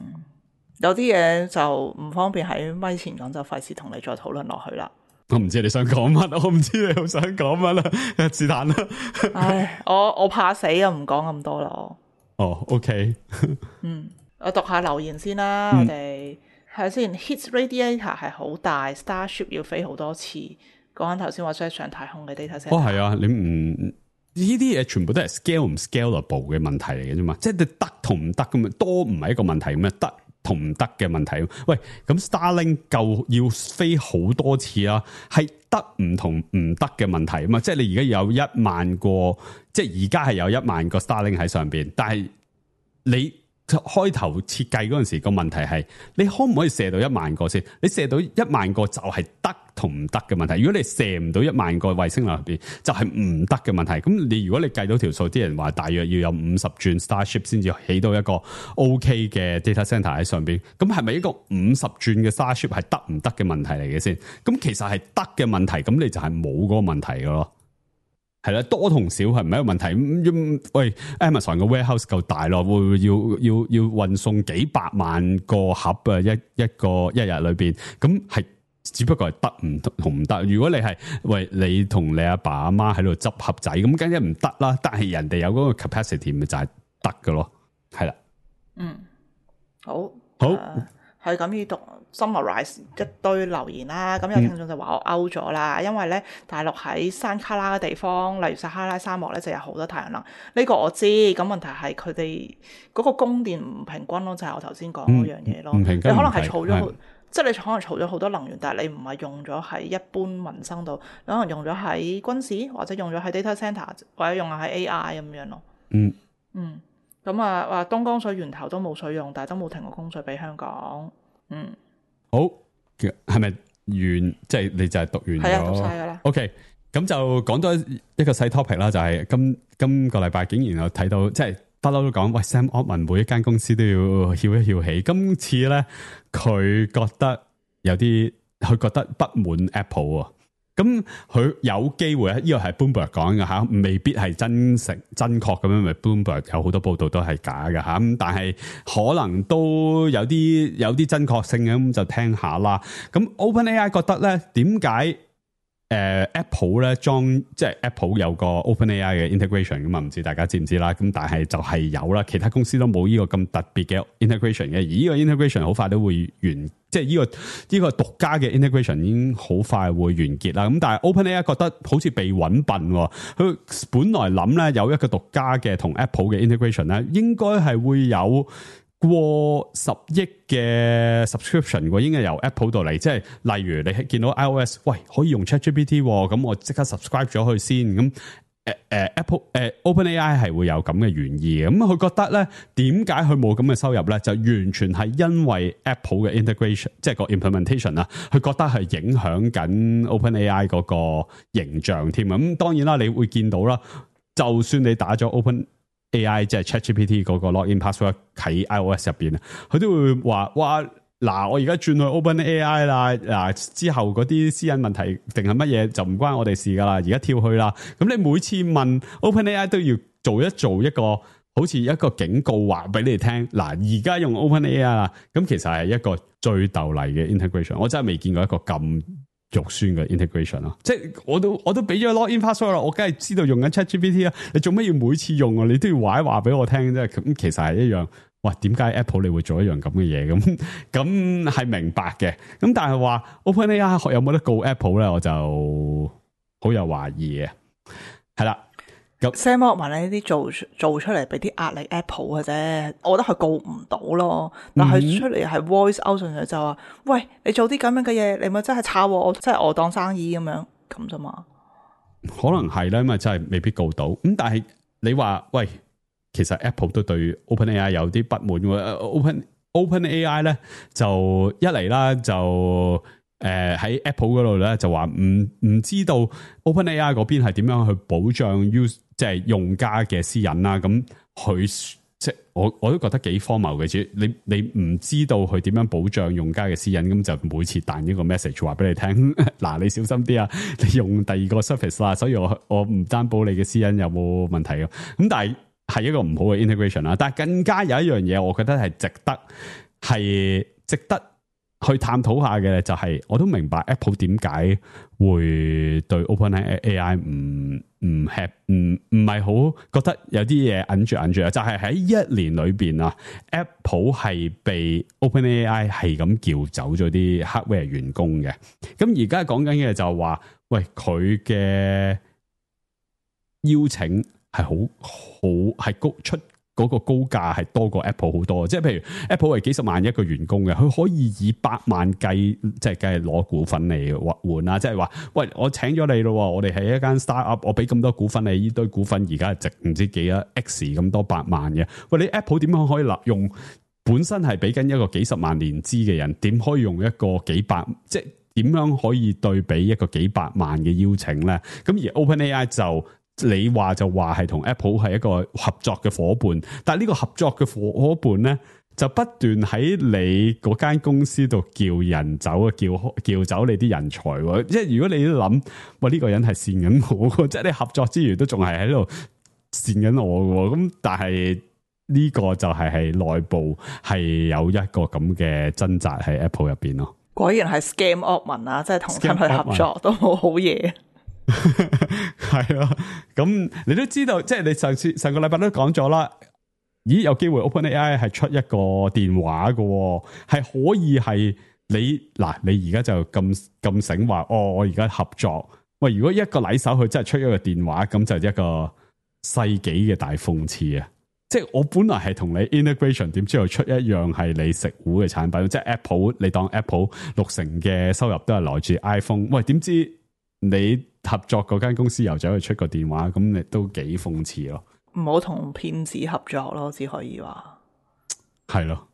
有啲嘢就唔方便喺咪前講，就費事同你再討論落去啦。我唔知你想講乜，我唔知你好想講乜啦，是但啦。唉，我怕死啊，唔講咁多啦。哦 ，OK 我讀下留言先啦。我哋係先 ，Hit Radiator 係好大 ，Starship 要飛好多次。講緊頭先話想上太空嘅 data center。係啊，你唔。呢啲嘢全部都係 scale 唔 scalable 嘅問題嚟嘅啫嘛，即係你得同唔得咁啊，多唔係一個問題咁啊，得同唔得嘅問題。喂，咁 Starlink 夠要飛好多次啊，係得唔同唔得嘅問題啊嘛，即係你而家有1萬個，即係而家係有1萬個 Starlink 喺上邊，但係你開頭設計嗰陣時個問題係，你可唔可以射到1萬個先？你射到1萬個就係得同唔得嘅問題。如果你射唔到1萬個衛星流入邊，就係唔得嘅問題。咁你如果你計到條數，啲人話大約要有50轉 Starship 先至起到一個 OK 嘅 data center 喺上邊。咁係咪一個50轉嘅 Starship 係得唔得嘅問題嚟嘅先？咁其實係得嘅問題，咁你就係冇嗰個問題嘅咯。係啦，多同少係唔係一個問題。喂 ，Amazon 個 warehouse 夠大咯，會要運送幾百萬個盒啊，一日裏邊，咁係只不過係得唔同唔得。如果你係喂你同你阿爸阿媽喺度執盒仔，咁梗係唔得啦。但係人哋有嗰個 capacity 咪就係得㗎咯。係啦，好。係咁要讀 summarize 一堆留言啦，咁有聽眾就話我 out 咗啦，因為咧大陸喺山卡拉嘅地方，例如撒哈拉沙漠咧就有好多太陽能，呢個我知，咁問題係佢哋嗰個供電唔平均咯，就係我頭先講嗰樣嘢咯。唔平均，你可能係儲咗，即係你可能儲咗好多能源，但係你唔係用咗喺一般民生度，你可能用咗喺軍事，或者用咗喺 data center， 或者用喺 AI 咁樣咯。咁啊，話東江水源頭都冇水用，但係都冇停過供水俾香港。好，係咪完？即係你就係讀完咗？係啊，讀晒噶啦。OK，咁就講多一個細 topic 啦，就係今個禮拜竟然有睇到，即係不嬲都講，喂 Sam Altman 每一間公司都要翹一翹起。今次咧，佢覺得有啲，佢覺得不滿 Apple 啊。咁佢有機會呢個係 Bloomberg 講嘅吓，未必係真確咁樣，咪 Bloomberg 有好多報道都係假嘅吓，咁但係可能都有啲真確性嘅，咁就聽下啦。咁 OpenAI 覺得咧，點解Apple 咧即係 Apple 有個 OpenAI 嘅 integration 咁啊？唔知大家知唔知啦？咁但係就係有啦，其他公司都冇呢個咁特別嘅 integration 嘅，而呢個 integration 好快都會完。即係呢個獨家嘅 integration 已經好快會完結啦。咁但係 OpenAI 覺得好似被搵笨，佢本來諗咧有一個獨家嘅同 Apple 嘅 integration 咧，應該係會有過10億嘅 subscription 喎，應該由 Apple 度嚟。即係例如你見到 iOS， 喂可以用 ChatGPT， 咁我即刻 subscribe 咗佢先咁。Apple OpenAI 係會有咁嘅原意嘅，咁佢覺得咧，點解佢冇咁嘅收入咧？就完全係因為 Apple 嘅 integration， 即係個 implementation 啊，佢覺得係影響緊 OpenAI 嗰個形象添啊。咁當然啦，你會見到啦，就算你打咗 AI 即係 ChatGPT 嗰個 login password 喺 iOS 入邊啊，佢都會話哇嗱，我而家轉去 OpenAI 啦，嗱之後嗰啲私隱問題定係乜嘢就唔關我哋事噶啦，而家跳去啦。咁你每次問 OpenAI 都要做一個好似一個警告話俾你哋聽，嗱而家用 OpenAI 啦，咁其實係一個最逗嚟嘅 integration， 我真係未見過一個咁肉酸嘅 integration 咯，即係我都俾咗 login password 啦，我梗係知道用緊 ChatGPT 啦，你做咩要每次用啊？你都要話俾我聽啫，咁其實係一樣。哇，點解 Apple 你會做一樣咁嘅嘢？咁係明白嘅，咁但係話 OpenAI 有冇得告 Apple 咧？我就好有懷疑嘅，係啦。Sam Altman 呢啲做出嚟俾啲壓力 Apple 嘅啫，我覺得佢告唔到咯。但係出嚟係 voice out 上去就話，喂，你做啲咁樣嘅嘢，你咪真係炒我，即係我當生意咁樣咁啫嘛。可能係啦，因為真係未必告到。咁但係你話喂，其實 Apple 都對 OpenAI 有啲不滿喎。OpenAI 咧就一嚟啦，就喺 Apple 嗰度咧就話唔知道 OpenAI 嗰邊係點樣去保障即係用家嘅私隱啦。咁佢即係我都覺得幾荒謬嘅，主你唔知道佢點樣保障用家嘅私隱，咁就每次彈一個 message 話俾你聽，嗱你小心啲啊，你用第二個 service 啦，所以我唔擔保你嘅私隱有冇問題嘅。咁但係一個唔好嘅 integration 啦。但係更加有一樣嘢，我覺得係值得去探討下嘅，就係我都明白 Apple 點解會對 OpenAI 唔係好覺得有啲嘢揞住啊，就係喺一年裏邊啊 ，Apple 係被 OpenAI 係咁叫走咗啲 hardware 員工嘅。咁而家講緊嘅就係話，喂，佢嘅邀請係係高出。嗰個高價係多過 Apple 好多，即係譬如 Apple 係幾十萬一個員工嘅，佢可以以百萬計，即係梗係攞股份嚟換啦。即係話，喂，我請咗你咯，我哋係一間 startup， 我俾咁多股份你，呢堆股份而家係值唔知幾多 X 咁多百萬嘅。喂，你 Apple 點樣可以用本身係俾緊一個幾十萬年資嘅人，點可以用一個幾百，即係點樣可以對比一個幾百萬嘅邀請咧？咁而 OpenAI 就你話係同 Apple 係一個合作嘅伙伴，但係呢個合作嘅伙伴咧，就不斷喺你嗰間公司度叫人走啊，叫走你啲人才。即係如果你諗，喂，呢個人係善緊我，即係你合作之餘都仲係喺度善緊我嘅。咁但係呢個就係內部係有一個咁嘅掙扎喺 Apple 入邊咯。果然係 Scam Altman 啊，即係同親去合作都冇好嘢。係啊，咁你都知道，即係你上個禮拜都講咗啦。咦，有機會 OpenAI 係出一個電話嘅，係可以係你而家就咁醒話，我而家合作。喂，如果一個禮手佢真係出一個電話，咁就一個世紀嘅大諷刺啊！即係我本來係同你 integration， 點知又出一樣係你食糊嘅產品，即係 Apple， 你當 Apple 60%嘅收入都係來自 iPhone。喂，點知你合作嗰間公司又走去出個電話，咁你都幾諷刺咯。唔好同騙子合作咯，只可以話係咯。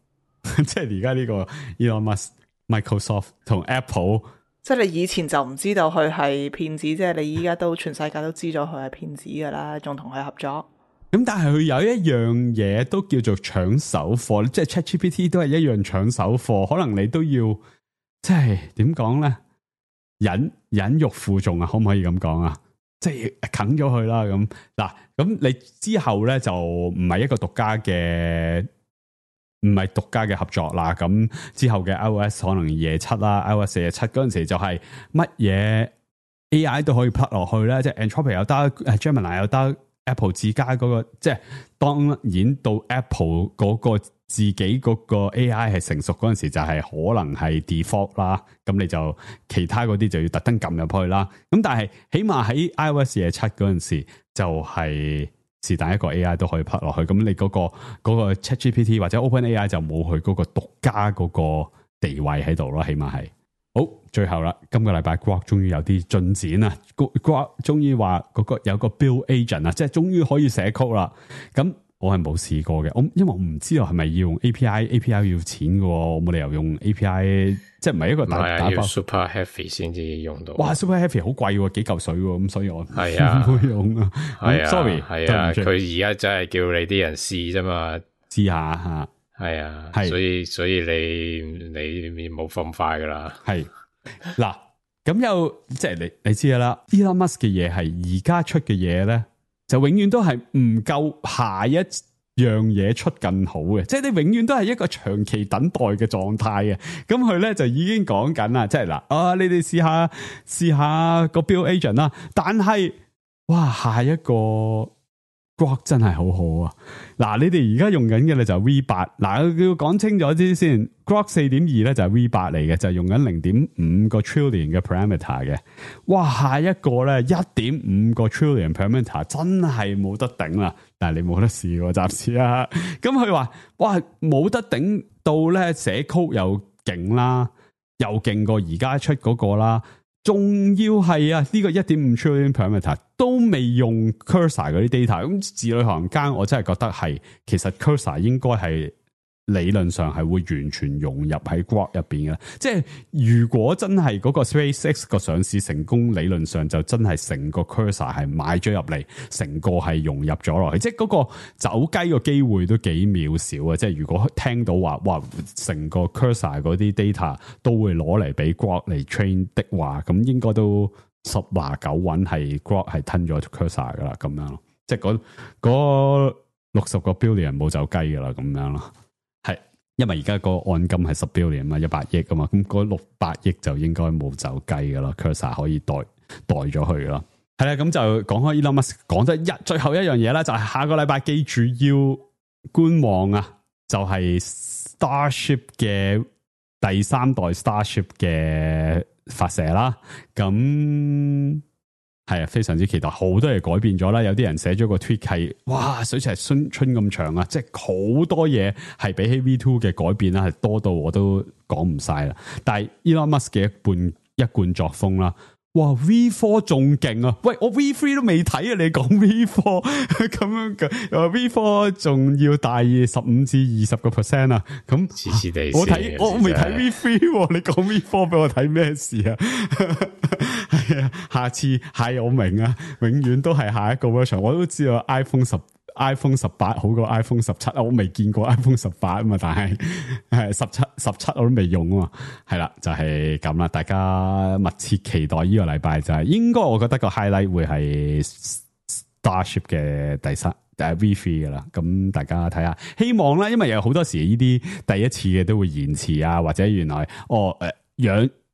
即係而家呢個 Elon Musk、Microsoft 同 Apple， 即係你以前就唔知道佢係騙子，即係你依家都全世界都知咗佢係騙子噶啦，仲同佢合作。咁但係佢有一樣嘢都叫做搶手貨，即係 ChatGPT 都係一樣搶手貨，可能你都要即係點講咧？忍辱負重啊，可唔可以咁講啊？即係啃咗佢啦，咁嗱，咁你之後咧就唔係一個獨家嘅合作啦。咁之後嘅 iOS 可能27啦 ，iOS 47嗰陣時就係乜嘢 AI 都可以 plug 落去咧，即係 Anthropic 又得，Gemini 又得。Apple 自家嗰個，即係當然到 Apple 嗰個自己嗰個 AI 係成熟嗰陣時，就係可能係 default 啦。咁你就其他嗰啲就要特登撳入去啦。咁但係起碼喺 iOS 27嗰陣時，就係是但一個 AI 都可以 plug 落去。咁你嗰個 ChatGPT 或者 OpenAI 就冇佢嗰個獨家嗰個地位喺度咯，起碼係。好，最後啦，今個禮拜 Grok 終於有啲進展啦。Grok 終於話嗰個有個 build agent 啊，即係終於可以寫曲啦。咁我係冇試過嘅，因為我唔知道係咪要用 API 要錢嘅，我冇理由用 API， 即係唔係一個打包 Super Heavy 先至用到。哇 ，Super Heavy 好貴，幾嚿水喎，咁所以我係啊，唔會用啊。Sorry，係啊，佢而家真係叫你啲人試啫嘛，試下吓。係啊，所以你冇咁快噶啦。係嗱，咁又即係你知噶啦 ，Elon Musk 嘅嘢係而家出嘅嘢咧，就永遠都係唔夠下一樣嘢出更好嘅，即係你永遠都係一個長期等待嘅狀態嘅。咁佢咧就已經講緊啦，即係嗱，你哋試下個 Build Agent 啦，但係哇，下一個。Grok 真係好好啊！嗱，你哋而家用緊嘅咧就係 V8，嗱，要講清楚啲先。Grok 4.2咧就係 V8 嚟嘅，就係用緊 0.5 個 trillion 嘅 parameter 嘅。哇，下一個咧 1.5 個 trillion parameter 真係冇得頂啦！但係你冇得試喎，暫時啊。咁佢話哇，冇得頂到咧，寫 code 又勁啦，又勁過而家出嗰個啦。仲要係啊！呢個 1.5 trillion parameter 都未用 Cursor 嗰啲 data， 咁字裏行間我真係覺得係，其實 Cursor 應該係理論上係會完全融入喺 Grok 入邊嘅。即係如果真係嗰個 SpaceX 個上市成功，理論上就真係成個 Cursor 係買咗入嚟，成個係融入咗落去。即係嗰個走雞個機會都幾渺小啊！即係如果聽到話，哇，成個 Cursor 嗰啲 data 都會攞嚟俾 Grok 嚟 train 的話，咁應該都10拿9穩係 Grok 係吞咗 Cursor 噶啦，咁樣咯。即係嗰60個 billion 冇走雞噶啦，咁樣咯。因為而家個按金係10 billion 嘛，100億啊嘛，咁嗰600億就應該冇走雞噶啦 ，Cursor 可以代咗佢咯。係啦，咁就講開 Elon Musk 講得最後一樣嘢啦，就係下個禮拜記住要觀望啊，就係 Starship 嘅第3代 Starship 嘅發射啦，咁。係啊，非常之期待，好多嘢改變咗啦。有啲人寫咗個 tweet 係，哇，水池春咁長啊！即係好多嘢係比起 V2 嘅改變啦，係多到我都講唔晒啦。但係 Elon Musk 嘅一貫作風啦，哇 V4 仲勁啊！喂，我 V3 都未睇啊，你講 V4 咁樣嘅，V4 仲要大15至20% 啊！咁黐黐地，我未睇 V3，你講 V4 俾我睇咩事啊？係啊，下次係我明啊，永遠都係下一個 version。我都知道 iPhone 18好過 iPhone 17，我未見過 iPhone 18啊嘛，但係17我都未用啊嘛，係啦，就係咁啦。大家密切期待呢個禮拜就係，應該我覺得個 highlight 會係 Starship 嘅第3V3 噶啦。咁大家睇下，希望啦，因為有好多時呢啲第一次嘅都會延遲啊，或者原來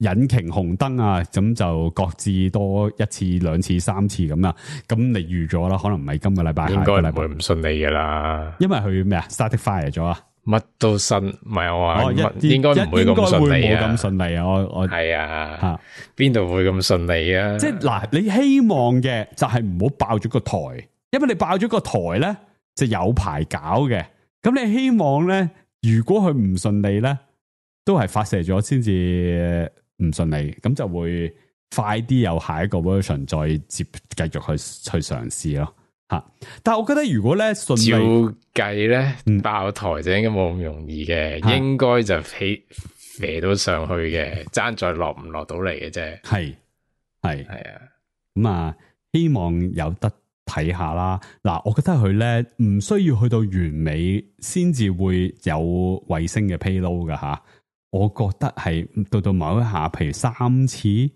引擎紅燈啊，咁就各自多1次、2次、3次咁啊。咁你預咗啦，可能唔係今個禮拜，應該唔會唔順利噶啦。因為佢咩啊 ，started fire 咗啊，乜都新，唔係我話，應該唔會咁順利啊。冇咁順利啊，我係啊，邊度會咁順利啊？即係嗱，你希望嘅就係唔好爆咗個台，因為你爆咗個台咧就有排搞嘅。咁你希望咧，如果佢唔順利咧，都係發射咗先至。唔順利，咁就會快啲有下一個 version 再繼續去嘗試咯吓。但係我覺得如果咧順利，照計咧爆台就應該冇咁容易嘅，應該就飛到上去嘅，爭在落唔落到嚟嘅啫。係啊，咁啊，希望有得睇下啦。嗱，我覺得佢咧唔需要去到完美先至會有衛星嘅 payload 噶吓。我覺得係到某一下，譬如3次，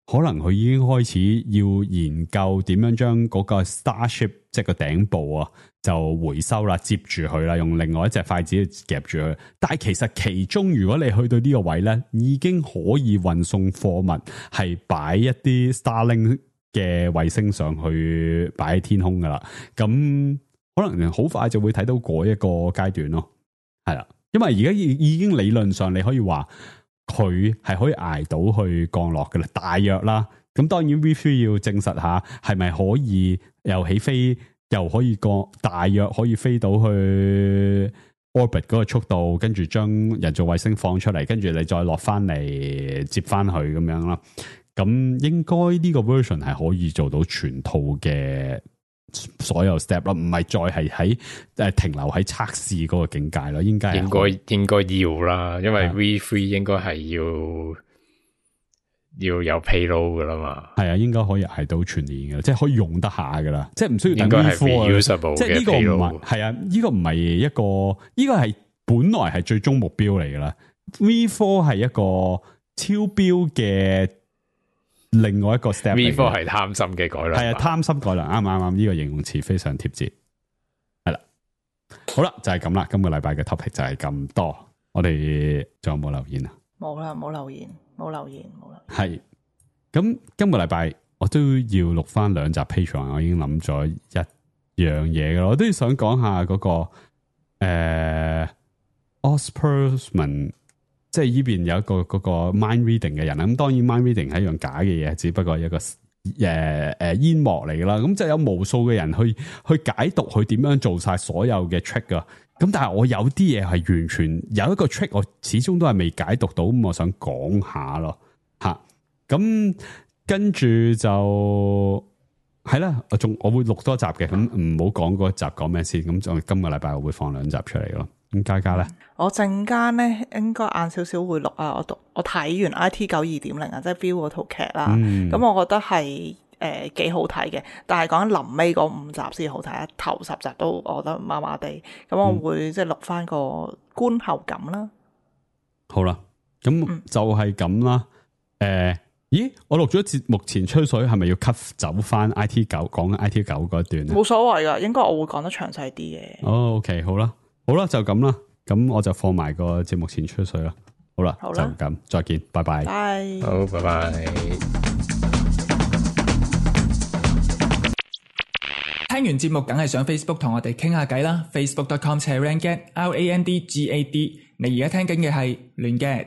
可能佢已經開始要研究點樣將嗰個 Starship 即係個頂部啊，就回收啦，接住佢啦，用另外一隻筷子夾住佢。但係其實其中，如果你去到呢個位咧，已經可以運送貨物，係擺一啲 Starlink 嘅衛星上去擺喺天空噶啦。咁可能好快就會睇到嗰一個階段咯，係啦。因為而家已經理論上你可以話佢係可以捱到去降落嘅啦，大約啦。咁當然 V3 要證實下係咪可以又起飛又可以降，大約可以飛到去 orbit 嗰個速度，跟住將人造衛星放出嚟，跟住你再落翻嚟接翻去咁樣啦。咁應該呢個 version 係可以做到全套嘅所有 step 咯，唔係再係喺停留喺測試嗰個境界咯，應該要啦，因為 V3 應該係要有 payload 噶啦嘛。係啊，應該可以捱到全年噶啦，即係可以用得下噶啦，即係唔需要等應該係 V4 reusable 即係呢個唔係係啊，呢個唔係一個，呢個係本來係最終目標嚟噶啦。V4 係一個超標嘅另外一個 step。V4 係貪心嘅改良，係啊，貪心改良，啱，呢個形容詞非常貼切。係啦，好啦，就係咁啦。今個禮拜嘅 topic 就係咁多。我哋仲有冇留言啊？冇啦，冇留言。係咁，今個禮拜我都要錄翻2集 Patreon， 我已經諗咗一樣嘢噶啦。我都要想講下嗰個Ospersman， 即係呢邊有一個嗰個 mind reading 嘅人啦。咁當然 mind reading 係一樣假嘅嘢，只不過係一個煙幕嚟噶啦。咁就有無數嘅人去解讀佢點樣做晒所有嘅 trick 噶。咁但係我有啲嘢係完全有一個 trick， 我始終都係未解讀到，咁我想講下咯吓。咁跟住就係啦，我會錄多集嘅，咁唔好講嗰集講咩先。咁就今個禮拜我會放2集出嚟咯。咁嘉嘉咧，我陣間咧應該晏少少會錄啊。我睇完 IT 9 2.0啊，即係 View 嗰套劇啦。咁我覺得係幾好睇嘅，但係講緊臨尾嗰5集先好睇，頭10集都我覺得麻麻地。咁我會即係錄翻個觀後感啦。好啦，咁就係咁啦。咦，我錄咗節目前吹水，係咪要 cut 走翻 IT 9講 IT 9嗰一段咧？冇所謂噶，應該我會講得詳細啲嘅。哦，OK，好啦，就咁啦。咁我就放埋個節目前吹水啦。好啦，就咁，再見，拜拜。好，拜拜。聽完節目梗係上 Facebook 同我哋傾下偈啦，facebook.com/randgad，RANDGAD。你而家聽緊嘅係亂 gad。